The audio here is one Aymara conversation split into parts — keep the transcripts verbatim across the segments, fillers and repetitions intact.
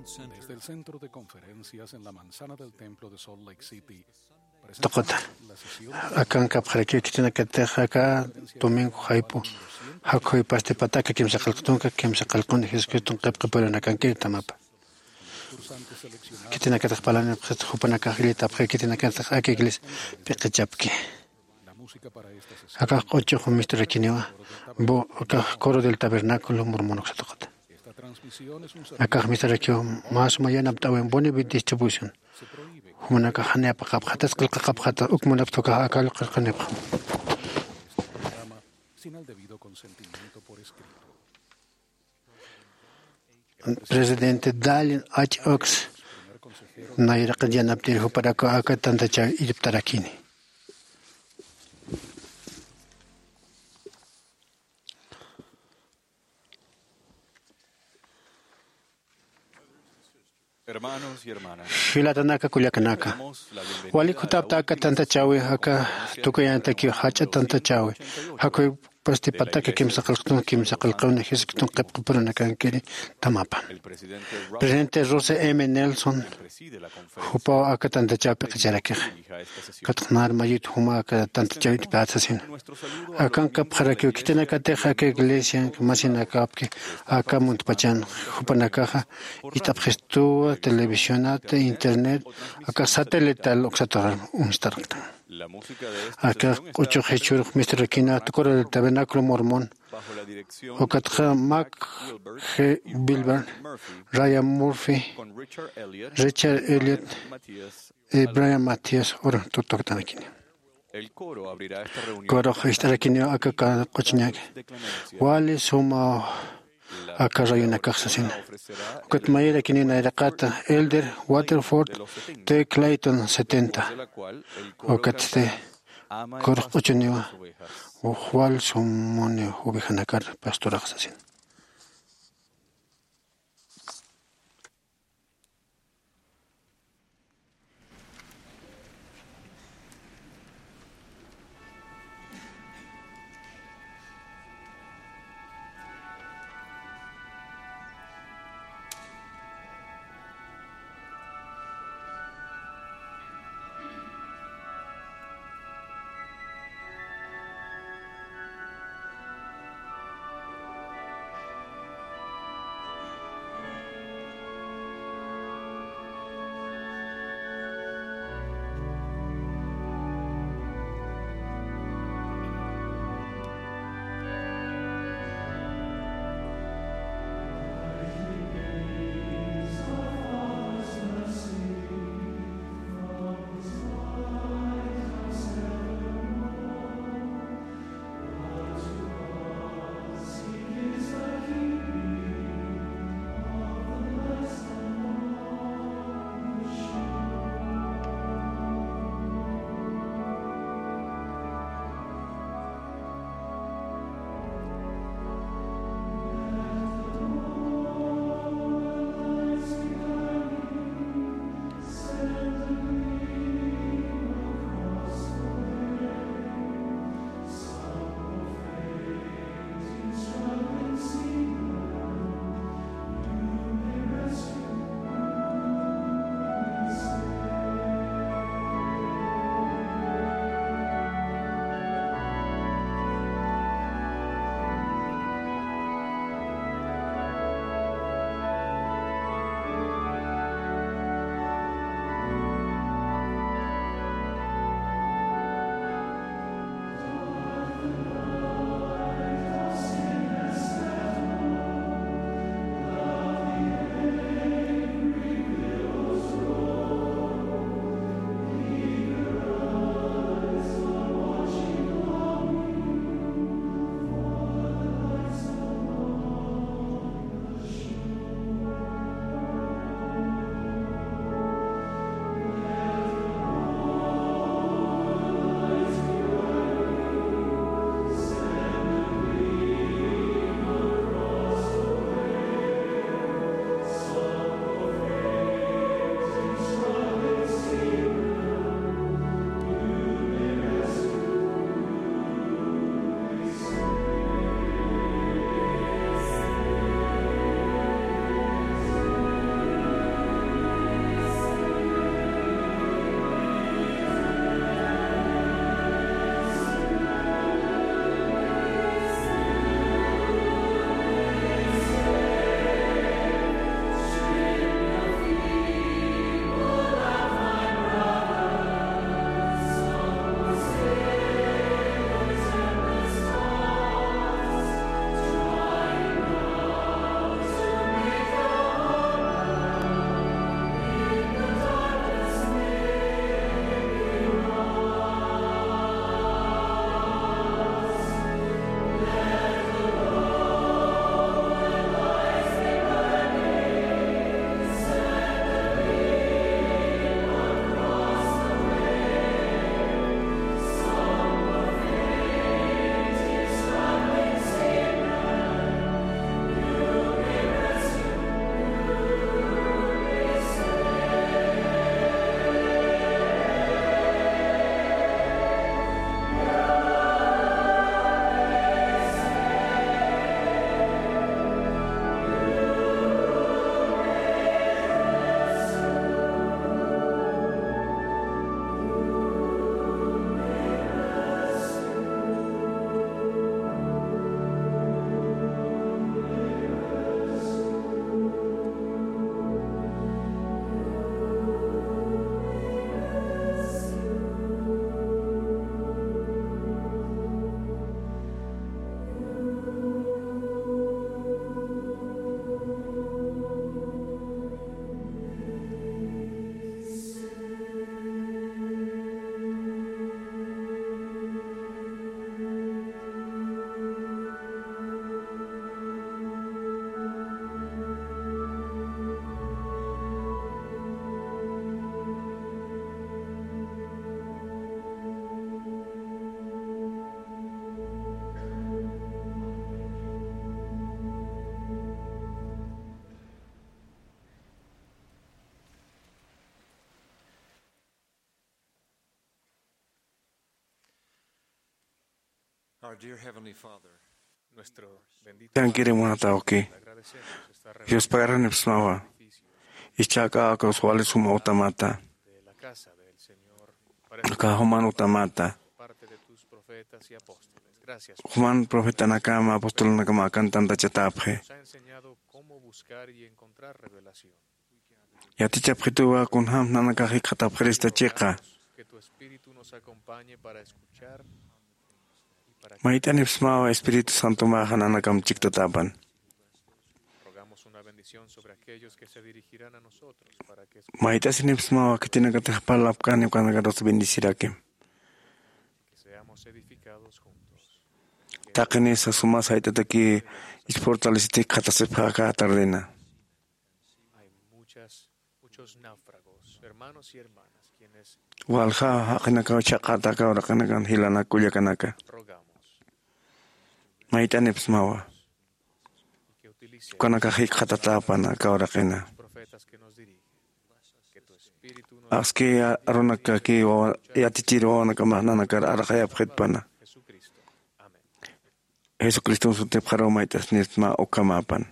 Desde el centro de conferencias en la manzana del templo de Salt Lake City, tuqita. Akankapxarakiw khitinakatix aka domingo jayp'u jakhuy pasti pataka kimsa qillqtunka, kimsa qillqun Jesucriston qillqipurunakankir tamapa. Khitinakatix parlanipxit jupanakax illitapxi khitinakatix aka iglesia p'iqichapki. Akax q'uchux misturakiniwa, bu akax coro del tabernáculo mormon uksatuqata. Akax mistarakiw mä suma yanapt'äwin boni distribución. Jumanakax jani apaqapxatas qillqaqapxata uk munapxta ukax aka qillqanipxam. Presidente Dallin H. Oaks nayraqat yanaptiri juparak aka tantachäw irptarakini. Filatanaka kullakanaka, walik jutapta aka tantachäwi aka tukuyantakiw jach'a tantachäwi jakhuy pasti pataka kimsa qillqtun kimsa qillqawni Jesucriston qillqipurunakankiri tamapa. Presidente Russell M. Nelson jupaw aka tantachäw p'iqicharakixa. Katxnar mayut juma aka tantachäw itpät sasina. Akankapxarakiw khitinakatix aka iglesian masinakapki aka muntpachan jupanakaxa it'apxistuwa televisionata internet aka satelital uksataxar uñstarqtan. Aka q'uchux jichhürux misturakina coro del tabernáculo mormon ukatxa Mac G. Wilber, Ryan Murphy, Richard Elliot, y Brian Matthias ur tukt'atanakini. Corux ist'arakiniw aka q'uchñaki wali suma aka rayunakax sasina. Ukat mayirakiniw nayraqata Elder Waterford T. Clayton setenta. Ukatsti corux q'uchuniwa wal sumuni ovejanakar pastorax sasina. Our dear Heavenly Father, nuestro bendito Tankirim Padre, munatawki. Agradecemos esta reunión, Dios pagaranipsmawa. Sacrificio Ichaka akus wali suma utamata. De la casa del Señor, para Aka juman utamata. Parte de tus profetas y apóstoles. Gracias, Juman profetanakama apostolnakama akan tantachatapxi. Nos ha enseñado cómo buscar y encontrar revelación. Yatichapxituwa kunjam nanakax jikxatapxirista chiqa. Que tu espíritu nos acompañe para escuchar. Mayt'anipsmawa Espíritu Santomaxa nanakam chiktatapan. Rogamos una bendición sobre aquellos que se dirigirán a nosotros para que escuchen. Mayt'asinipsmawa khitinakatix parlapkani ukanakatas bendecirakim. Que seamos edificados juntos. Taqinisa suma sayt'ataki ichpurtalisiti jikxatasipxa aka tardena. Hay muchas, muchos náufragos, hermanos y hermanas, quienes Walja jaqinakaw chhaqata aka uraqinakan jilanak kullakanaka. Rogamos. Mayt'anipsmawa. Y que utilice Ukanakax jikxatatäpan aka uraqina. Profetas que nos dirigen. Que tu espíritu nos Aski arunakaki wawa yatichir wawanakamax nanakar arxayapxitpana. Jesucristo. Amén. Jesucriston sutipxaruw mayt'asnipsma ukhamapan.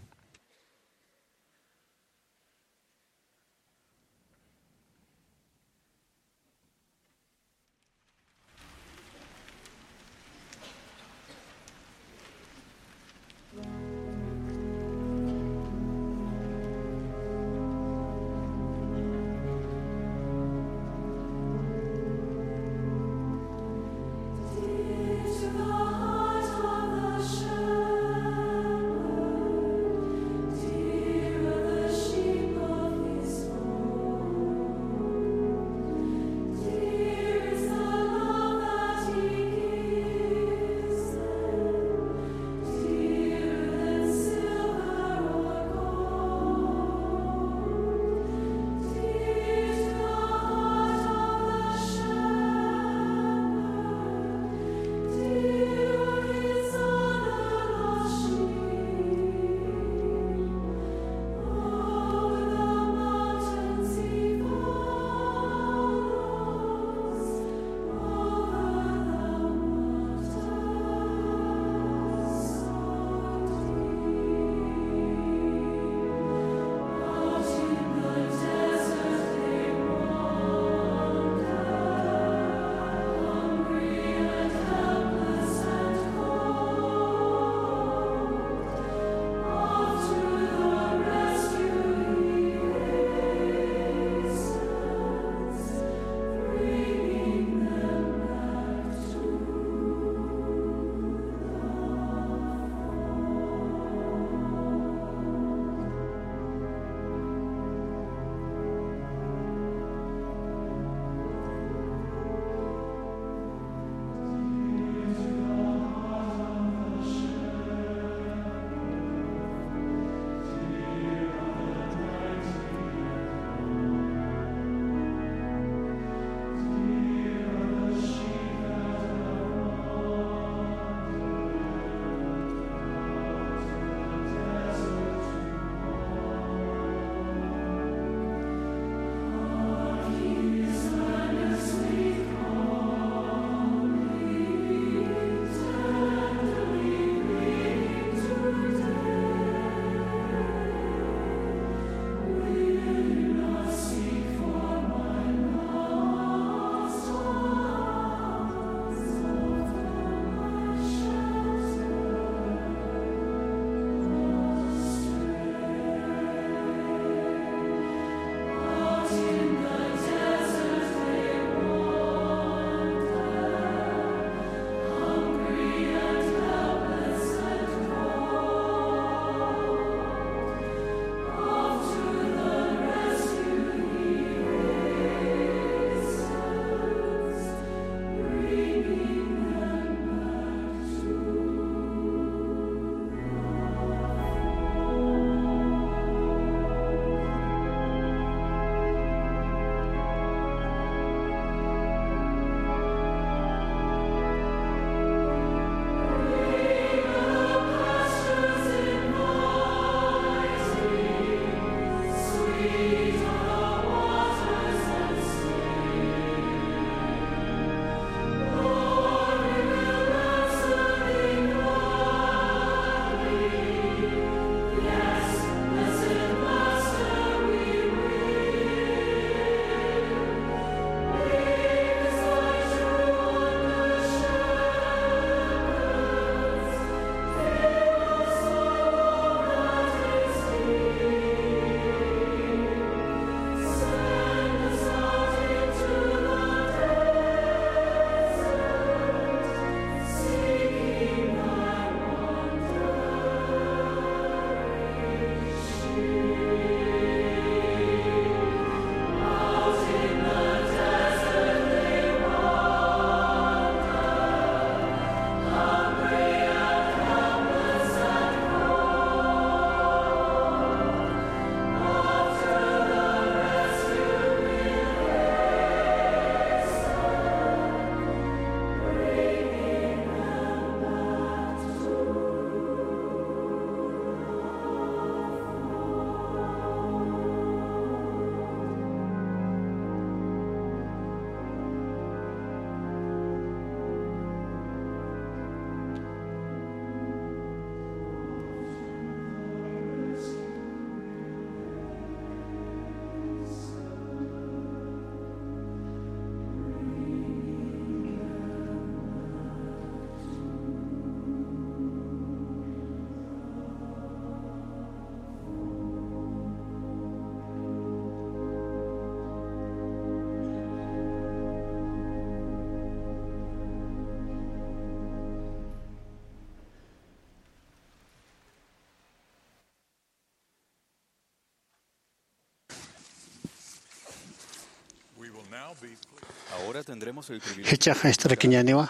Jichhax jist'arakiñäniwa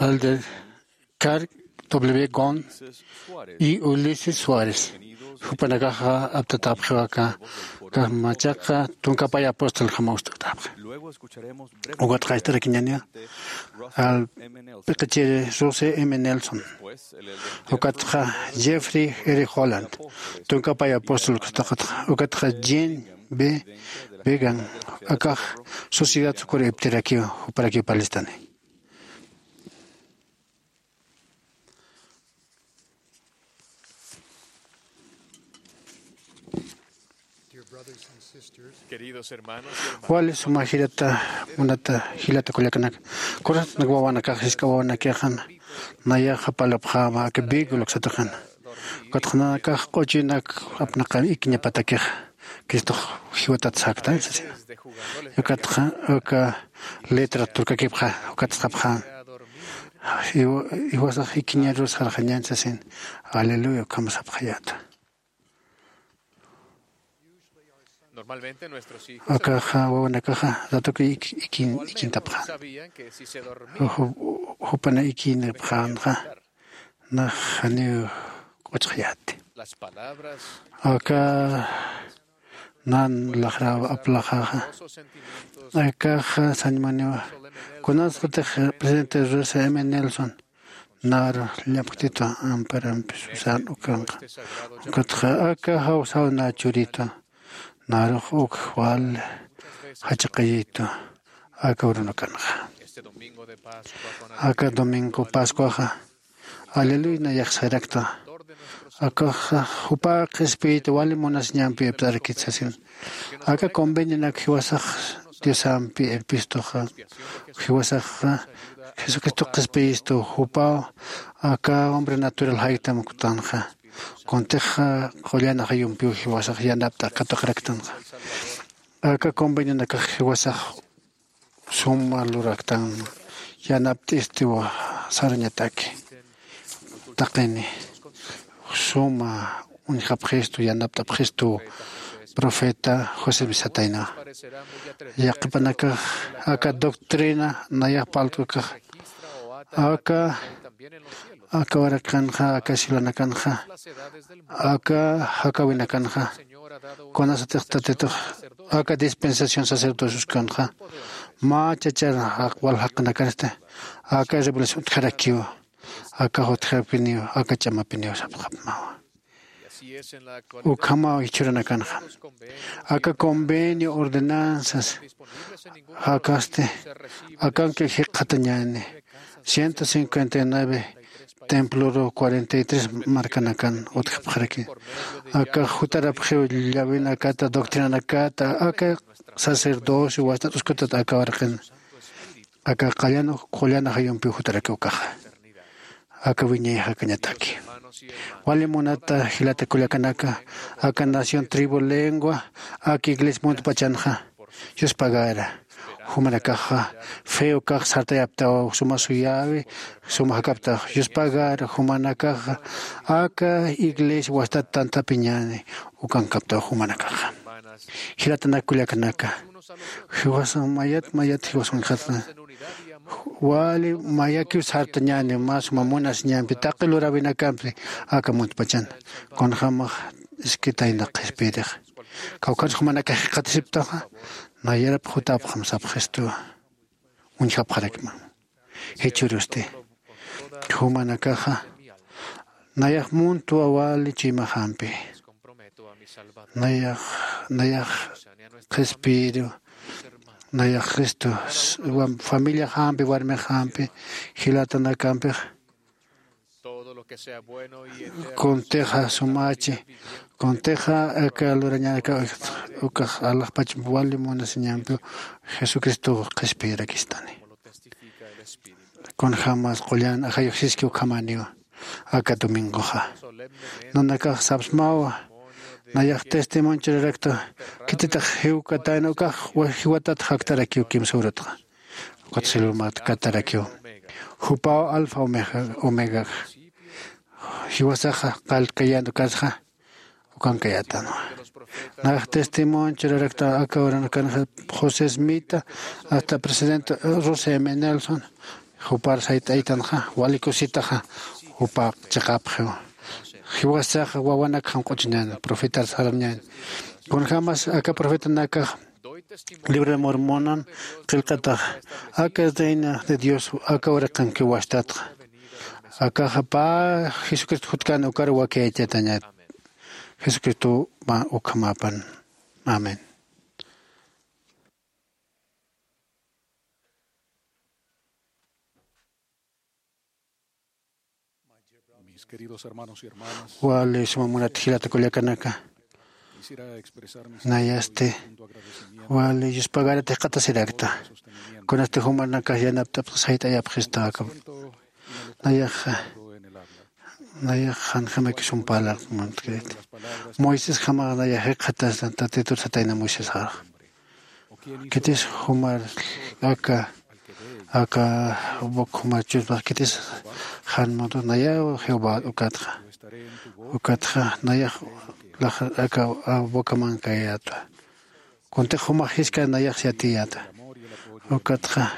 Elder Carl W. Gon y Ulises Suárez. Jupanakaxa aptatäpxiw aka, aka machaqa tunkapay apóstoljama ustaktäpxi. Ukatxa jist'arakiñäniwa al p'iqichiri Russell M. Nelson. Ukatxa Jeffrey R. Holland, tunkapay apóstol ukatxa, ukatxa Jean B. Began, akax Sociedad Socorro iptirakiw, juparakiw parlistani. Wali suma jilata, munata jilata kullakanaka, corazonnak wawanakax, jisk'a wawanakixan nayaxa parlapxäma aka vehículo uksatixan. Ukatxa nanakax q'uchunak apnaqan ikiñapatakixa, Cristox jiwatat saktan sasina. Ukatxa uka letra turkakipxa, ukat sapxän. Jiwasax ikiñarus sarxañän sasin. Aleluya, ukham sapxayäta. Akaxa wawanakaxa ratuki ikin, ikintapxän. Jupana ikinipxänxa nax janiw q'uchxayäti. Aka nan laxraw aplaxaxa, akaxa sañmuniwa. Kunasatix presidente Russell M. Nelson nar llapktitwa amparampi susan ukanxa. Ukatxa aka jawsaw na churitwa, narux uk wal jachaqayitwa aka urunakanxa. Aka domingo Pascuaxa, aleluya, nayax sarakta. Akaxa jupa qhispiyita wali munasiñampi iptarakit sasin. Aka convenionak jiwasax Diosampi irpistuxa, jiwasaxa Jesucristo qhispiyistu, jupaw aka hombre natural jaytam uktanxa. Kuntixa qullan ajayumpiw jiwasax yanapt'a katuqaraktanxa. Aka convenionakax jiwasax suma luraktan, yanapt'istiwa sarañataki. Taqini suma uñjapxistu, yanapt'apxistu profeta José Misatayna. Yaqhipanakax aka doctrina nayax parlt'kax, aka, aka waraqinxa, aka silanakanxa, aka jakawinakanxa, kunasatix Tatitux aka dispensación sacerdocios kanxa, mä chachar wal jaqinakansti aka revelación utjarakiw, aka utjarapiniw, aka ch'amapiniw sapxapmawa. Ukhamaw jichhüranakanxa. Aka convenio, ordenanzas jakasti, akanki jikxatañäni. Ciento cincuenta y nueve temploru cuarenta y tres markanakan utjapxaraki. Aka jutarapxiw llawinakata, doctrinanakata, aka sacerdocio wastat uskutat aka waraqin. Aka qallan, qullan ajayumpiw jutarakiw ukaxa. Aka wiñay jakañataki. Wali munata jilata kullakanaka, aka nación, tribu, lengua, aka iglesia muntpachanxa yuspagara. Jumanakaxa fe ukax sartayaptaw, suma suyäwi, suma jakaptaw. Yuspagara jumanakaxa aka iglesia wastat tantapiñäni ukankaptaw jumanakaxa. Jilatanak kullakanaka, jiwasan mayat mayat jiwasan uñjatna. Wali mayakiw sartañäni, mä suma munasiñampi taqi luräwinakampi aka muntpachan. Kunjamax iskitayna qhispiyirix. Kawkhansa jumanakax jikxatasiptaxa, nayarap jutapxam sapxistuwa. Uñjapxarakma. Jichhürusti jumanakaxa nayax muntwa wali chuymaxampi. Nayax, nayax qhispiyiru, nayax Cristo, familiaxampi, warmixampi, jilatanakampix. Kuntixa sumachi, kuntixa aka lurañanaka ukax alaxpach wali munasiñampiw Jesucristo qhispiyirakistani. Kunjamas qullan ajayuxsiski ukhamäniwa aka domingoxa. Nanakax sapsmawa, nayax testimonio churarakta, khititix jiwkatayna ukax jiwatat jaktarakiw kimsa urutxa. Ukat silumat katarakiw. Jupaw alfa omega, omegax. Jiwasaxa qalltkayan ukasxa ukankayätanwa. Nax testimonio churarakta aka uranakanxa, José Smita, hasta presidente Rusia M. Nelson, jupar sayt'aytanxa wali kusitaxa jupa chiqapxiw. Jiwasaxa wawanak janq'uchiñan profetar sarañan. Kunjämas aka profetanakax libro de Mormonan qillqatax, aka es reina de Dios, aka uraqankiw wastatxa. Akaxa pä Jesucristo jutkan ukar wakiyachatañat. Jesucristo mä ukhamapan. Amén. Mis queridos hermanos y hermanas, wali suma munat jilata kullakanaka, quisiera expresar mi nayasti sentimiento de agradecimiento wali yuspagarata jikxatasirakta. Kunasti jumanakax yanapt'apxi sayt'ayapxista aka. Nayaxa, nayax janjamakisum parlar muntkiriti. Moisés jamax nayax jikxatastan, Tatitur satayna Moisés jarax. Khitis jumar aka, aka bok jumar churpax khitis jan munto nayaw Jehová ukatxa. Ukatxa nayax lax aka boca mankayätwa. Kuntix jumax jiskar nayax yatiyäta. Ukatxa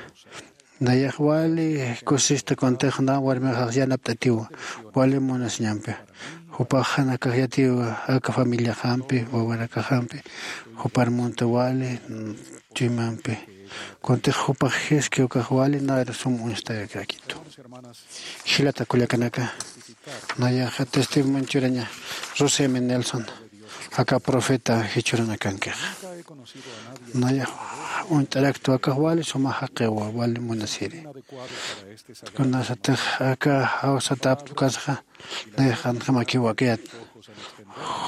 nayax wali kusista kuntix na warmixax yanapt'atiwa wali munasiñampi. Jupax jan akax yatiwa aka familiaxampi, wawanakaxampi, jupar munta wali chuymampi. Kuntix jupax jiski ukax wali nar sum uñstayakitu. Jilata kullakanaka, nayaxa testimonio churaña Rusia M. Nelson, aka profeta jichhurunakankix. Nayax uñt'araktwa akax wali suma jaqiwa, wali munasiri. Kunasatix aka jawsatapta ukasxa, nayax janjamakiw wakiyät.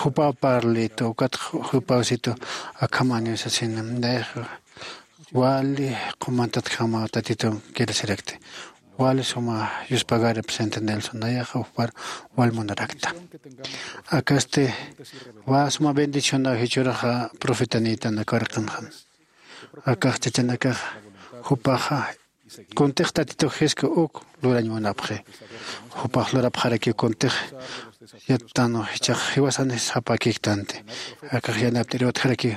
Jupaw parlitu, ukat jupaw situ, akhamaniw sasina. Nayax wali qumantatjamaw Tatitum kirasirakti. Wali suma yuspagari presidente Nelson, nayax jupar wal munarakta. Akasti wä suma bendicionaw jichhüraxa profetanïtan aka uraqinxan. Akax chachanakax jupaxa kuntix Tatitux jiski uk lurañ munapxi. Jupax lurapxarakiw kuntix yattanwa, jichhax jiwasanis sapakiktanti. Akax yanapt'ir utjarakiw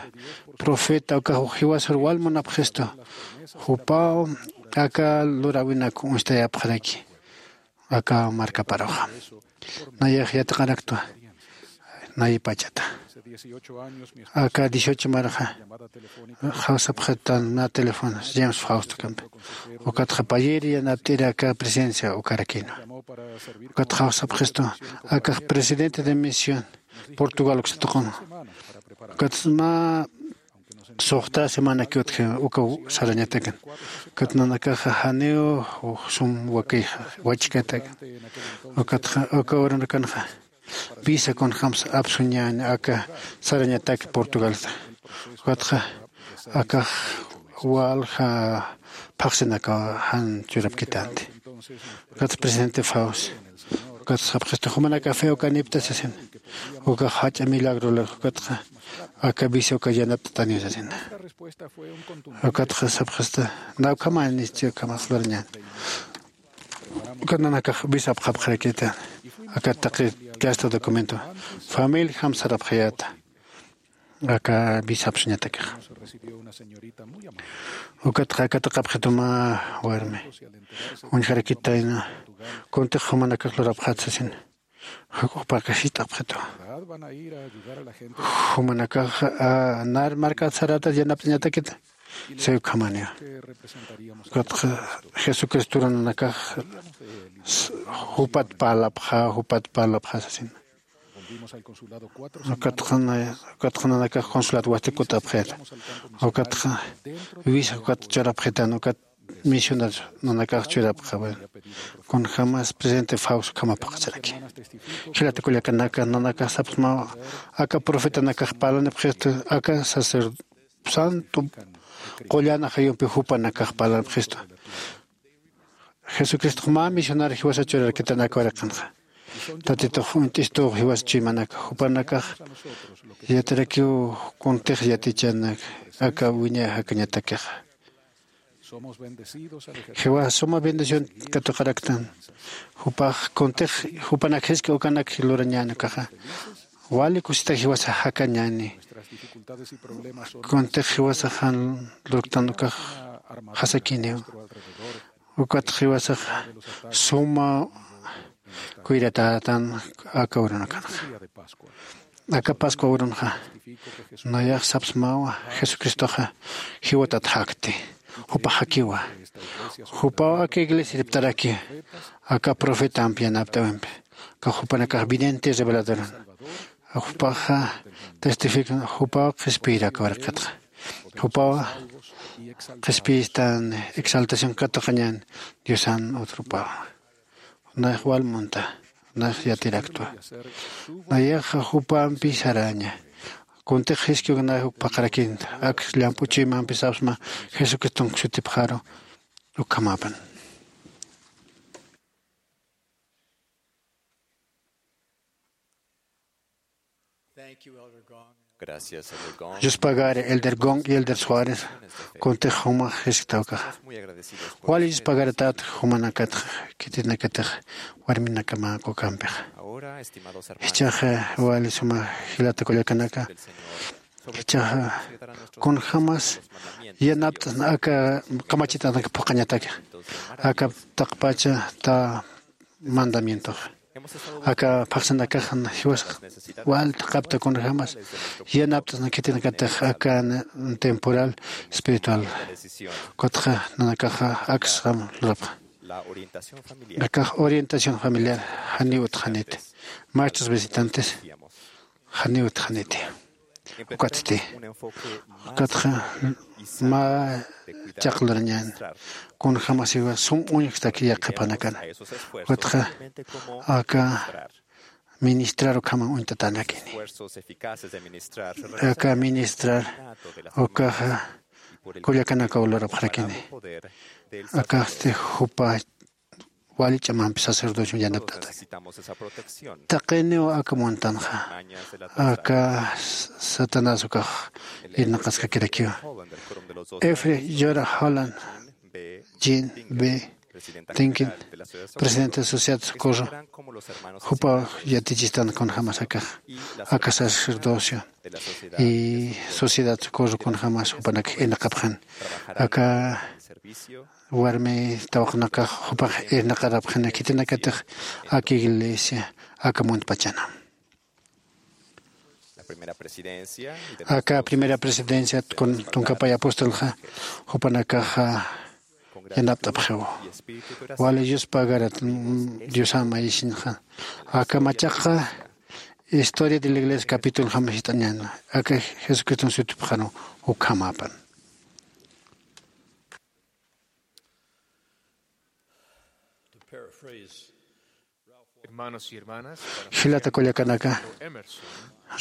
profeta ukax jiwasar wal munapxistu. Jupaw aka luräwinak uñstayapxaraki aka markaparuxa. Nayax yatiqaraktwa nayipachata. Aka dieciocho marxa jawsapxitan mä teléfono James Fausto kampi. Ukatxa payïri yanapt'iri aka presidencia ukarakïnwa. Ukatxa jawsapxistu akax presidente de misión Portugal uksatuqun. Ukatxa mä suxta semanakiw utji ukaw sarañatakan. Ukat nanakaxa janiw sum wakixa wachkatakan. Ukatxa uka uranakanxa visa kunjämsa apsuñäni aka sarañatak Portugalsa. Ukatxa akax walja phaxsinakaw jan churapkitänti. Ukatxa presidente Faust, ukatxa sapxistu jumanakax fe ukanipta sasin. Ukax jach'a milagro lur, ukatxa aka visa uka yanapt'ataniw sasin. Ukatxa sapxista, na ukhamänisti, ukhamax lurañäni. Ukat nanakax visa apxapxarakïta. Aka taqi kasta documento familiajam sarapxayäta. Aka visa apsuñatakixa. Ukatxa aka taqapxitu mä warmi uñjarakitayna, kuntix jumanakax lurapxät sasin. Juk'uxpaka jiskt'apxitu. Jumanakax nar markat sarätat yanapt'añatakit. Siw ukhamaniwa. Ukatxa Jesucristo nanakax jupat parlapxä, jupat parlapxä sasina. Ukatxa nanakax consulado wasti kut'apxit. Ukatxa visa ukat churapxitan, ukat misionar nanakax churapxä. Kunjämas presidente Faust ukhama phuqasiraki. Jilata kullakanaka, nanakax sapxsmawa aka profetanakax parlanipxistu, aka sacerdote santo qullan ajayumpi jupanakax parlanipxistu. Jesucristox mä misionar jiwasa churarkitan aka uraqinxa. Tatitux uñt'istu jiwasa chuymanaka, jupanakax yatirakiw kuntix yatichanak aka wiñay jakañatakixa. Jiwas suma bendición katuqaraktan. Jupax kuntix jupanak jisk'a ukanak lurañäni ukaxa. Wali kusita jiwasa jakañani. Kuntix jiwasa jan lurktan ukax jasakiniw. Ukat jiwasax suma kuyratätan aka urunakanxa. Aka Pascua urunxa nayax sapsmawa Jesucristoxa jiwatat jakti. Jupax jakiwa. Jupaw aka iglesiariptaraki aka profetampi yanapt'äwimpi. Aka jupanakax vidente reveladoran. Jupaxa testifican, jupaw qhispiyir aka waraqatxa. Jupaw qhispiyistan exaltación katuqañan Diosan otro paw. Nayax wal munta, nayax yatiraktwa. Nayaxa jupampi saraña. Kuntix jiskiw nayax uk paqarakinta, ak llamp'u chuymampi sapsma Jesucriston sutipxaru ukhamapan. Gracias, Elder Gong. Yuspagari Elder Gong y Elder Suárez, kuntix jumax jisktawkaxa. Wali yuspagaratat jumanakat khitinakatix warminakama kukampixa. Jichhaxa wali suma jilata kullakanaka. Jichhaxa kunjamas yanapt'asna aka kamachitanaka phuqañataki. Aka taqpacha ta mandamientoxa. Aka phaxsinakaxan jiwasax wal thaqhapta kunjamas yanapt'asna khitinakatix aka temporal espiritual. Kutxa nanakaxa aksxam lurapxa. Akax orientación familiar janiw utxaniti. Maestros visitantes janiw utxaniti. Ukatsti. Ukatxa mä chaqlurañan. Kunjamasiwa sum uñjtaki yaqhipanakana. Ukatxa aka ministrar ukhama uñtatanakini. Aka ministrar ukaxa kullakanakaw lurapxarakini. Akaxti jupa wali ch'amampi sacerdocio yanapt'ata. Taqiniw aka muntanxa aka Satanás ukax irnaqaskakirakiwa. Efre Yora Holland, Jean B. Tinkin, presidente de Sociedad Socorro, jupa yatichistan kunjamas akax aka sacerdocio y Sociedad Socorro kunjamas jupanakax irnaqapxan. Aka warmi tawaqnakax jupax irnaqarapxani khitinakatix aka iglesia aka muntpachana. Aka primera presidencia tunkapay apostolxa jupanakaxa yanapt'apxiw. Wali yuspagarat diosama isinxa. Aka machaqa historia de la iglesia capitulxam jist'añan aka jesucriston sutipxaru ukhamapan. Jilata kullakanaka,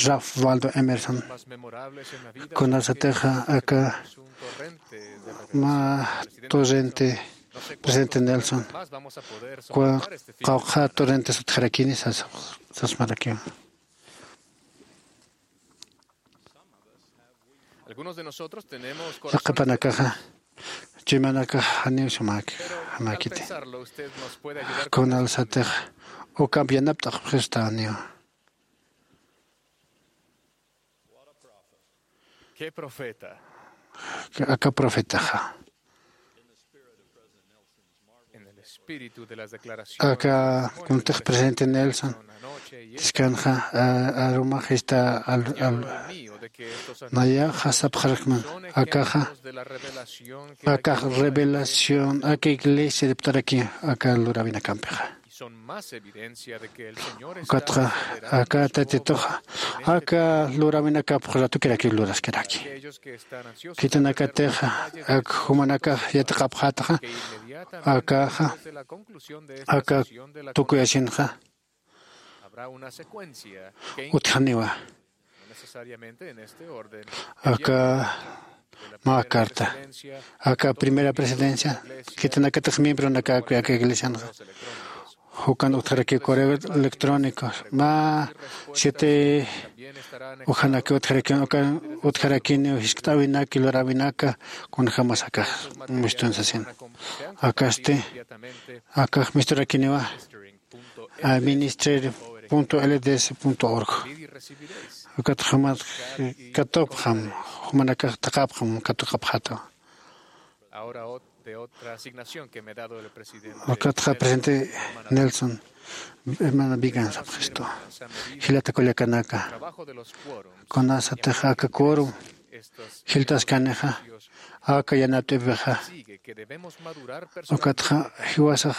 Ralph Waldo Emerson kunasatixa aka mä torrente presidente Nelson, qawqha torrentes utjarakini sasmarakiwa. Yaqhipanakaxa chuymanakax janiw sumäki jamäkiti. Kunalsatix ukamp yanapt'aqpxistaniw. Aka profetaxa aka kuntix presidente Nelson tiskanxa arumax ista nayaxa sapxarakman akaxa akax revelación aka iglesia diptaraki aka lurawinakampixa. Ukatxa aka tatituxa aka lurawinakapx ratukirakiw luraskiraki. Khitinakatixa ak jumanakax yatiqapxätaxa akaxa aka tukuyasinxa utjaniwa. Aka mä carta aka primera presidencia khitinakatix miembronakakuy aka iglesianxa jukan utjarakiw correo electrónico mä siete ujanaki utjarakiw ukan utjarakiniw jiskt'äwinaki luräwinaka kunjämas akax mistun sasin. Akasti akax misturakiniwa a minister punto l d s punto org. Ukat jumat katupxam, jumanakax taqapxam katuqapxata. Ukatxa presidente Nelson, hermana Vigan sapxistu, jilata kullakanaka, kunasatix aka quorum jiltaskanixa, aka yanapt'apixa, ukatxa jiwasax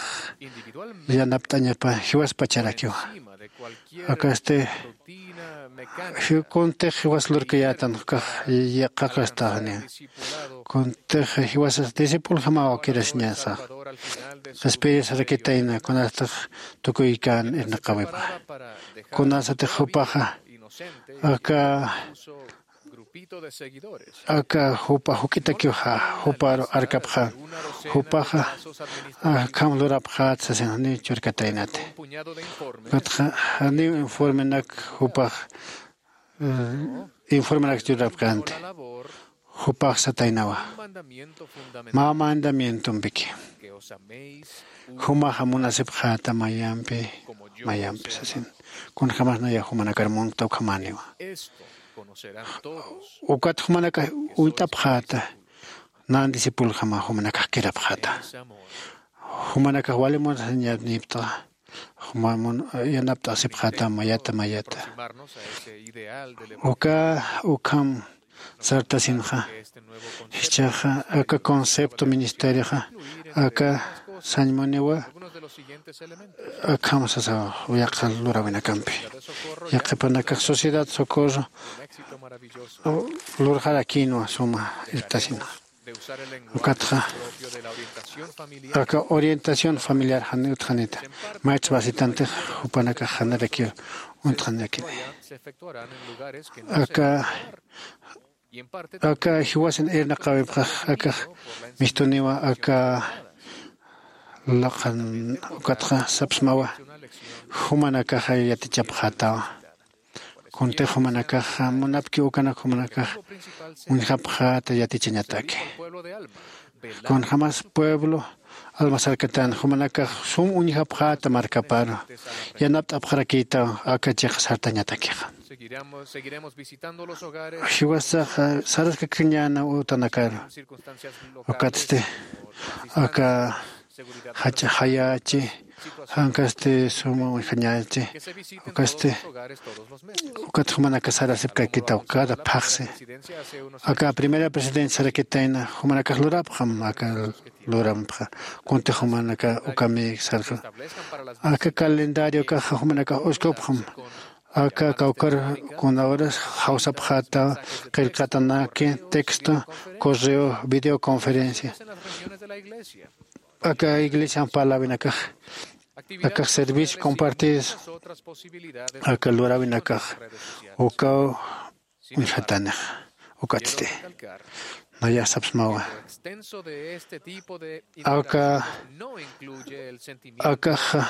yanapt'añapa jiwaspacharakiwa. Akasti kuntix jiwas lurkayätan ukax yaqaqastaxni. Kuntix jiwasas discipuljamaw kirasiñasax qhispiyisarakitayna kunastix tukuykan irnaqäwipa. Kunasatix jupaxa aka aka jupa juk'itakiw juparu arkapxän. Jupaxa akham lurapxät sasin janiw churkataynati. Ukatxa janiw informenak jupax informenak churapkänti. Jupax sataynawa, mä mandamientompiki jumaxa munasipxäta mayampi mayampi sasin. Kunjämas nayax jumanakar munkta ukhamäniwa. Ukat jumanakax uñt'apxäta, nan discipuljama jumanakax kirapxäta. Jumanakax wali munasiñanipta, yanapt'asipxäta mayata mayata. Uka ukham sartasinxa, jichhaxa aka concepto ministerioxa aka sañmuniwa. Akham sasaw yaqha luräwinakampi, yaqhipanakax sociedad socorro lurxarakïnwa suma irptasinxa. Ukatxa aka orientación familiar jan utjanita, maytsa basitantix jupanakax janirakiw untxanakini. Aka aka jiwasin irnaqäwipxax akax mistuniwa aka laqan. Ukatxa sapsmawa, jumanakaxa yatichapxätawa. Kuntix jumanakaxa munapki ukanak jumanakax uñjapxäta yatichañataki. Kunjämas pueblo alma sarkatän jumanakax sum uñjapxäta markaparu yanapt'apxarakïtaw aka chiqa sartañatakixa. Jiwasaxa saraskakiñäna utanakaru. Ukatsti aka jach'a jayächi, jankasti suma uñjañächi. Ukasti ukat jumanakax sarasipkakïtaw cada phaxsi. Aka primera presidencia sarakitayna jumanakax lurapxam aka lurampxa. Kuntix jumanakax ukamï sarxa aka calendario kaxa jumanakax uskupxam. Aka kawkar kuna horas jawsapxäta qillqatanaki texto, correo, videoconferencia. Aka iglesian parläwinakax akax servicio compartidos aka luräwinakax ukaw uñjatanixa. Ukatsti nayax sapsmawa, aka akaxa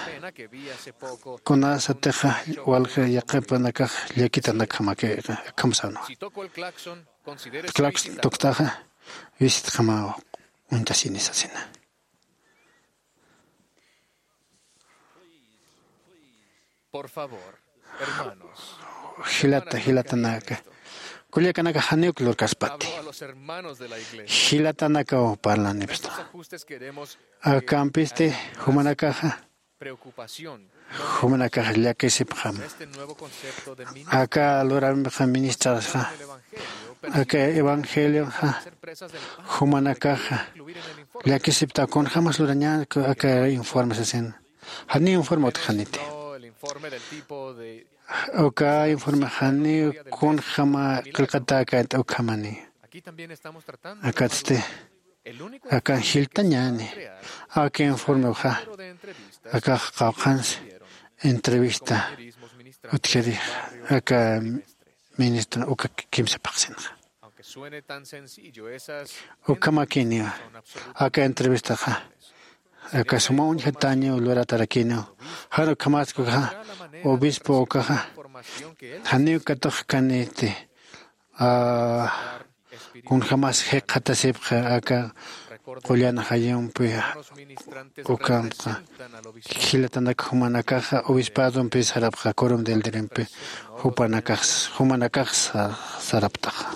kunasatixa walja yaqhipanakax llakitanakjamakixa akham sänwa. Claxon tuktaxa visitjamaw uñtasini sasina. Por favor, hermanos, jilata jilatanaka, kullakanaka janiw lurkaspati. Jilatanakaw parlanipxta. Akampisti jumanakaxa jumanakax llakisipxam. Aka lurampixa ministrarxa aka evangelioxa jumanakaxa llakisipta kunjämas lurañäni aka informe sasin. Janiw informe utjaniti. Uka informe janiw kunjäma qillqatäkänti ukhamani. Akatsti akan jiltañäni aka informewxa akax qawqhansi entrevista utjiri aka ministro uka kimsa phaxsinxa. Ukhamakiniwa aka entrevistaxa aka suma uñjatäñiw luratarakiniw. Jan ukhamaskxa obispo ukaxa janiw katuqkaniti kunjämas jikxatasipxa aka Qullan jayumpi ukamta jilatanak jumanakaxa obispadumpi sarapxa, corum del dirimpi jupanakax jumanakax saraptaxa.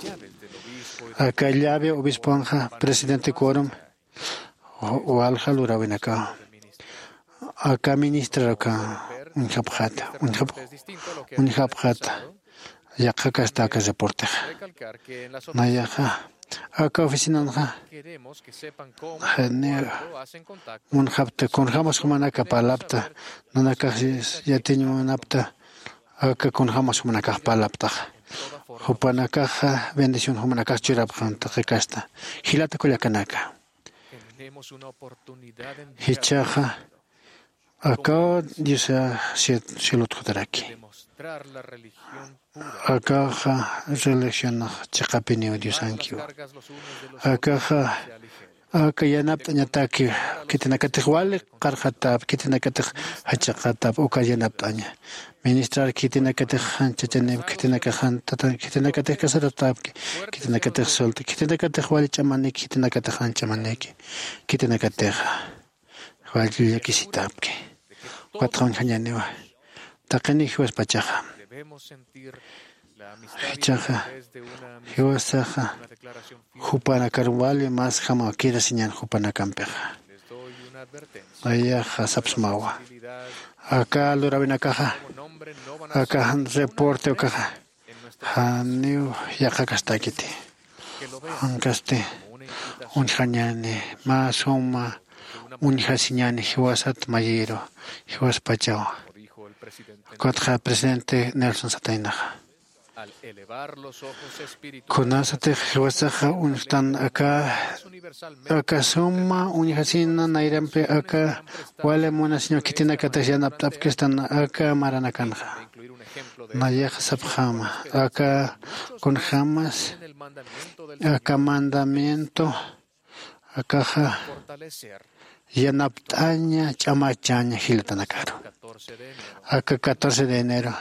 Aka llave obisponxa presidente corum walja lurawinakawa. Aka ministraruka uñjapxata uñjapxata. Yaqha kasta aka reportexa nayaxa aka oficinanxa janiw munxapta kunjämas jumanaka parlapta nanakax yatiñ munapta. Aka kunjämas jumanakax parlaptaxa jupanakaxa bendición jumanakax churapxan taqi kasta jilata kullakanaka. Jichhaxa akaw diosa cielot jutaraki. Akaxa religionax chiqapiniw diosankiw. Akaxa aka yanapt'añataki khitinakatix wali qarqatap khitinakatix jachaqatap uka yanapt'aña. Ministrar khitinakatix janchachanip khitinakax jantatan khitinakatix kasaratapki khitinakatix solta khitinakatix wali ch'amanik khitinakatix janch'amaniki khitinakatixa wali llakisitapki. Ukatxa uñjañaniwa taqini jiwaspachaxa. Jichhaxa jiwasaxa jupanakar wali mas jama kirasiñan jupanakampixa. Nayaxa sapsmawa aka lurawinakaxa aka jan reporte ukaxa janiw yaqha kastakiti. Jankasti uñjañani mä suma uñjasiñani jiwasat mayiru jiwaspachaw. Ukatxa presidente nelson sataynaxa kunasatix jiwasaxa uñjtan aka aka suma uñjasina nayrampi aka wali munasiñaw khitinakatix yanapt'apkistan aka maranakanxa. Nayaxa sapxäma aka kunjämas aka mandamiento akaxa yanapt'aña ch'amachaña jilatanakaru. Aka catorce de enero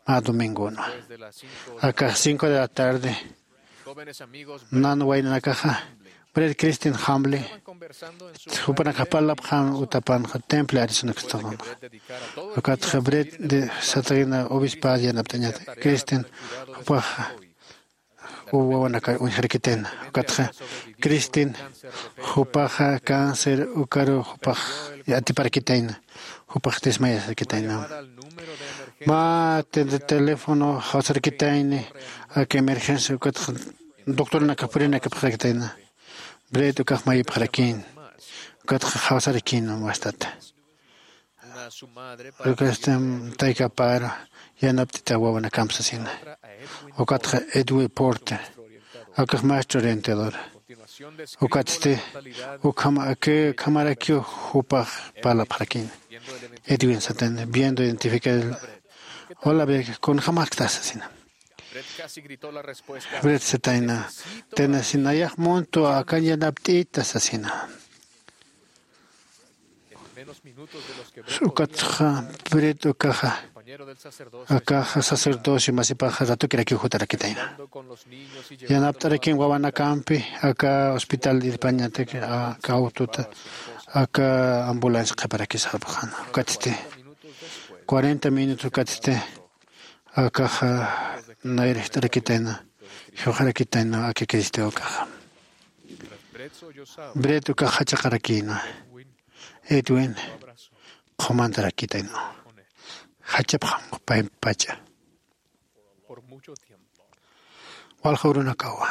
mä domingonwa akax cinco de la tarde nan waynanakaxa bred cristin hamble jupanakax parlapxan utapanxa temple arizona kastaqanxa. Ukatxa bred de satayna obispad yanapt'añat cristin jupaxa wawanakar uñjarakitayna. Ukatxa cristin jupaxa cáncer ukaru jupax atiparakitayna jupax desmayasakitayna. Mä teléfono jawsarakitayni aka emergencia ukatxa doctoranakax purinakapxarakitayna. Bret ukax mayipxarakïn ukatxa jawsarakïn wastata. Ukastam taykapar yanapt'ita wawanakamp sasina. Ukatxa edwin porte akax maestro orientador. Ukatsti ukham akhamarakiw jupax parlapxarakïn edwin satan viendo identificar. Hola bek kunjamaxkta sasina. Bret satayna tena sinayax muntu akan yanapt'ita sasina. Ukatxa bret ukaxa akaxa sacerdocio masipaxa ratukirakiw jutarakitayna. Yanapt'arakin wawanakampi aka hospital irpañatak aka autota aka ambulancia qhiparakisxapxana. Ukatsti cuarenta minutos ukatsti akaxa nayrajt'arakitayna. Jiwxarakitayna aka cristo ukaxa bret ukax jachaqarakïna. Edwin qhumantarakitayna jachapxam paypacha. Walja urunakawa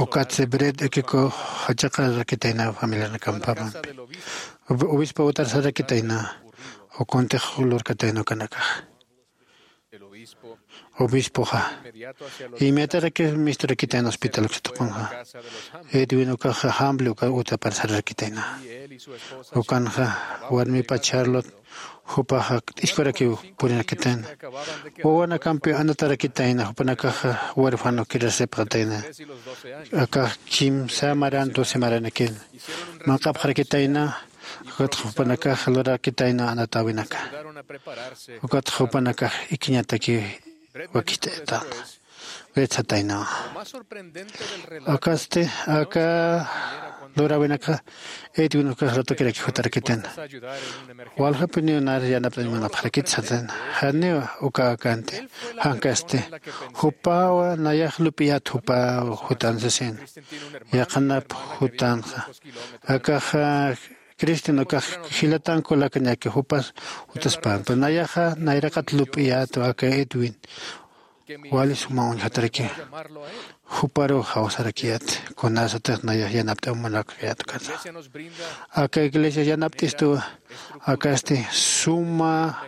ukatsi bret ikiku jachaqarakitayna familianakampamampi. Obispo utarsarakitayna. Ukuntix lurkatayna ukanakax obispoxa inmediatarakir misturakitayna hospital uksatuqunxa. Edwin ukaxa hamble uka utaparsararakitayna. Ukanxa warmipa charlot jupaxa t'iskwarakiw purirakitayna. Wawanakampi anatarakitayna jupanakaxa huérfano kirasipxatayna. Akax kimsa maran doce maranakir manq'apxarakitayna. Ukatxa jupanakax lurarakitayna anatäwinaka. Ukatxa jupanakax ikiñatakiw wakist'aytanxa. Retsataynawa. Akasti aka luräwinakxa Edwin ukax ratukirak jutarakitan. Waljapiniw nar yanapt'añ munapxarakit satan. Janiw uka akanti. Jankasti jupawa nayax lup'iyät jupaw jutan sasin. Yaqhanap jutanxa akaxa Cristian ukax jilatan kulakañaki jupas jutaspan. Pero nayaxa nayraqat lup'iyätwa aka Edwin. Wali suma uñjataraki juparuw jawsarakiyät kunasatix nayax yanapt'aw munakiyät ukata. Aka iglesia yanapt'istuwa akasti suma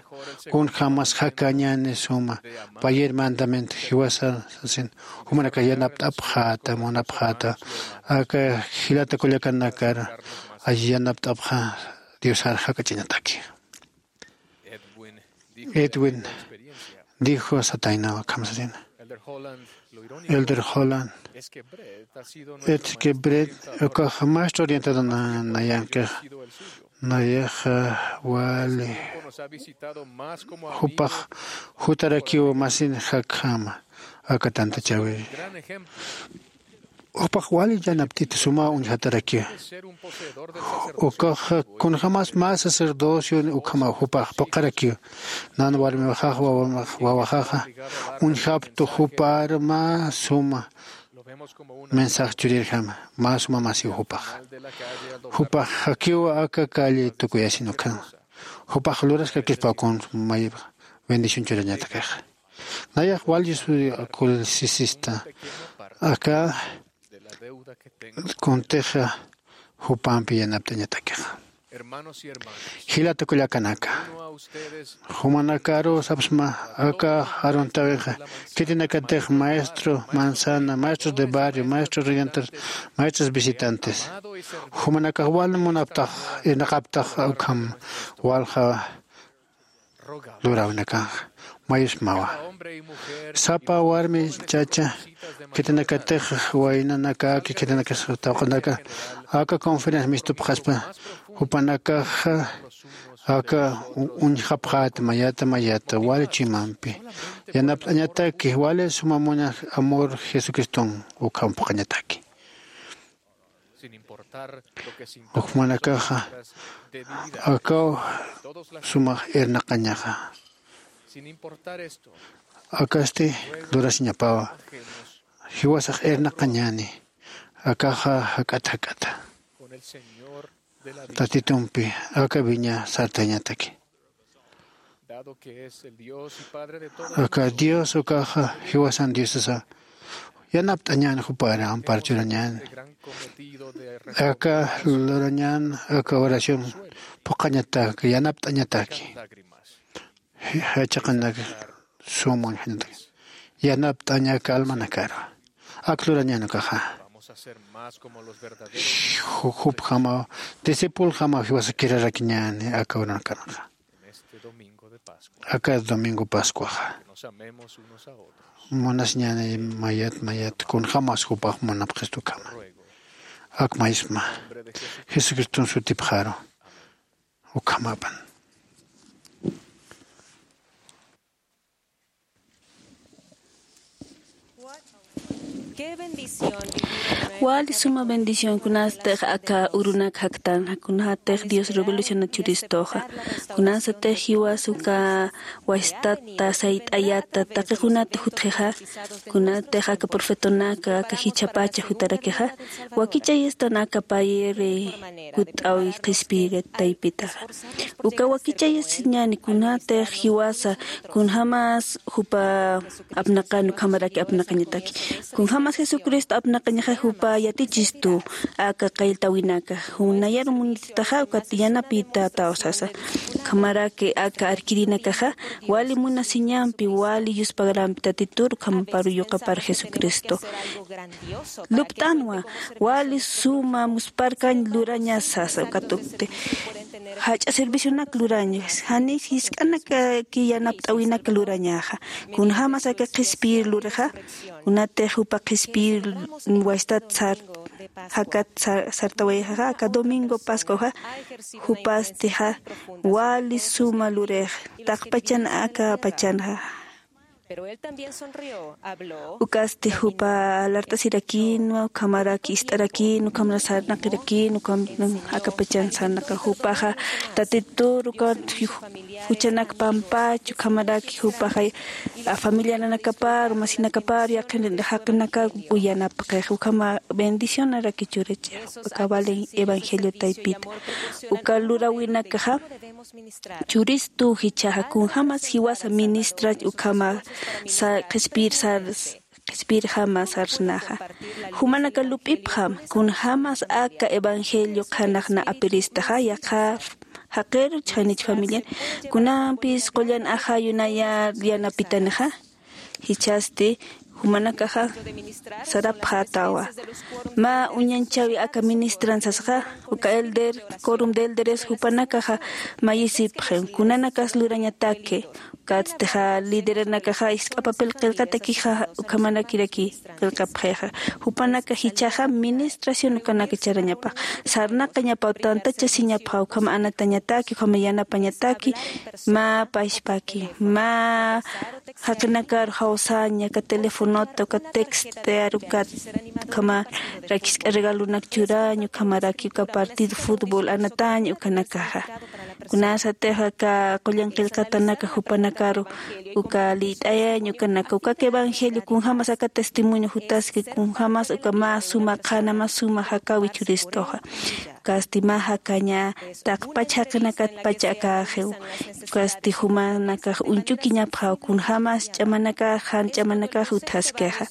kunjämas jakañäni suma payer mandamiento jiwasa sasin jumanakax yanapt'apxäta munapxäta. Aka jilata kullakanakar ay yanapt'apxa diosar jak'ach'añataki. Edwin dijo sataynaw akham sasina. Elder Holland es que Brett ukax maestro orientado nayankix nayaxa wali jupax jutarakiw masin jakjama aka tantachäwi. Jupax wali yanapt'ita suma uñjatarakiw. Ukax kunjämas mä sacerdocio ukhamaw jupax phuqharakiw. Nan warmiwaxaxa wawaxaxa uñjaptu jupar mä suma mensaje churirjama mä suma masiw jupax. Jupax jakiw aka calle tukuyasin ukhama jupax luraskakispaw kun may bendición churañatakaxa. Nayax wal yusuri kulsisista aka kuntixa jupampi yanapt'añatakixa. Jilata kullakanaka jumanakaru sapsma aka aruntawinxa khitinakatix maestro manzana maestros de barrio maestros redentor maestros visitantes jumanakax wal munaptax irnaqaptax ukham walja luräwinakanxa mayusmawa. Sapa warmi chacha khitinakatix waynanakaki khitinakatix tawqanaka aka conferencia mistupxaspa jupanakaxa aka uñjapxäta mayata mayata wali chuymampi yanapt'añataki wali suma muña amor jesucriston ukham phuqhañataki. Jumanakaxa akaw sumax irnaqañaxa. Akasti lurasiñapawa jiwasax irnaqañäni akaxa jak'at jak'ata tatitumpi aka wiña sartañataki. Aka dios ukaxa jiwasan diosasa yanapt'añän jupar ampar churañän. Aka lurañän aka oración phuqhañatak yanapt'añataki. Jachaqanak suma uñjañatak yanapt'aña calmanakaru ak lurañän ukaxa. Jupjamaw discipuljamaw jiwasa kirarakiñäni aka uranakanxa. Aka domingo pascuaxa munasiñäni mayat mayat kunjämas jupax munapxistu ukhama. Ak mayisma jesucriston sutipxaru ukhamapan. Wali suma bendición kunatix aka urunak jaktan kunatix dios revolucionat churistuxa kunatix jiwas uka wastata sayt'ayata taqi kunat jutxixa kunatix aka profetonaka aka jichhapacha jutarakixa wakichayastan aka payri jutt'awi qhispiyiri taypitaxa. Uka wakichayasiñäni kunatix jiwasa kunjämas jupa apnaqan ukhamaraki apnaqañataki kunjämas jesucristo apnaqañaxa jupa yatichistu aka qalltawinaka nayaru munititaxa ukat yanapïtätaw sasa. Ukhamaraki aka arkirinakaxa wali munasiñampi wali yuspagrampi tatitur ukhamaparu yuqapar jesucristo lupt'anwa wali suma musparkañ lurañas sasa ukatukti jach'a servicionak lurañas janis jisk'anakaki yanapt'äwinak lurañaxa. Kunjämas aka qhispiyir lurixa kunatix jupa qhispiyir wastat sar jakat sartawayxixa aka domingo pascuaxa jupastixa wali suma lurix taqpachan aka pachanxa. Ukasti jupa alart'asirakinwa, ukhamaraki ist'arakin, ukhamara sarnaqirakin, ukham akapachan sarnaqa jupaxa Tatitur ukat juchanak pampach, ukhamaraki jupaxa familiananakapar, masinakapar, yaqin jaqinakar uyanapxix, ukhama bendicionaraki churachix, uka valen evangelio taypita. Uka luräwinakaxa churistu jichhaxa kunjämas jiwasa ministra ukhama sa qhispir sars qhispirjama sarsnaxa. Jumanaka lup'ipxam kunjämas aka evangelio qhanax na apiristaxa yaqha jaqiru chhanich familian kunampis qullan ajayunayar yanapitanixa. Jichhasti jumanakaxa sarapxätawa mä uñanchäwi aka ministran sasxa, uka elder, corum de elderes jupanakaxa mayisipxi kunanakas lurañataki. Ukatstixa lideranakaxa jisk'a papel qillqatakixa ukhamanakiraki qillqapxixa. Jupanaka jichhaxa ministración ukanaka charañapax, sarnaqañapaw, tantachasiñapxaw ukham anatañataki, ukham yanapañataki, mä pachpaki, mä jaqinakar jawsaña, uka telefonota, uka textear, ukat ukhamaraki jisk'a regalonak churaña, ukhamaraki uka partido fútbol anataña ukanakaxa. Kunasatix aka qullan qillqatanaka jupanakaru uka lït'ayaña ukanaka, ukak evangelio kunjämas aka testimonio jutaski, kunjämas uka mä suma qhana, mä suma jakäwi churistuxa. Ukasti mä jakaña taqpach jaqinakatpach akäxiw. Ukasti jumanakax uñch'ukiñapxaw kunjämas ch'amanakax, jan ch'amanakax utjaskixa.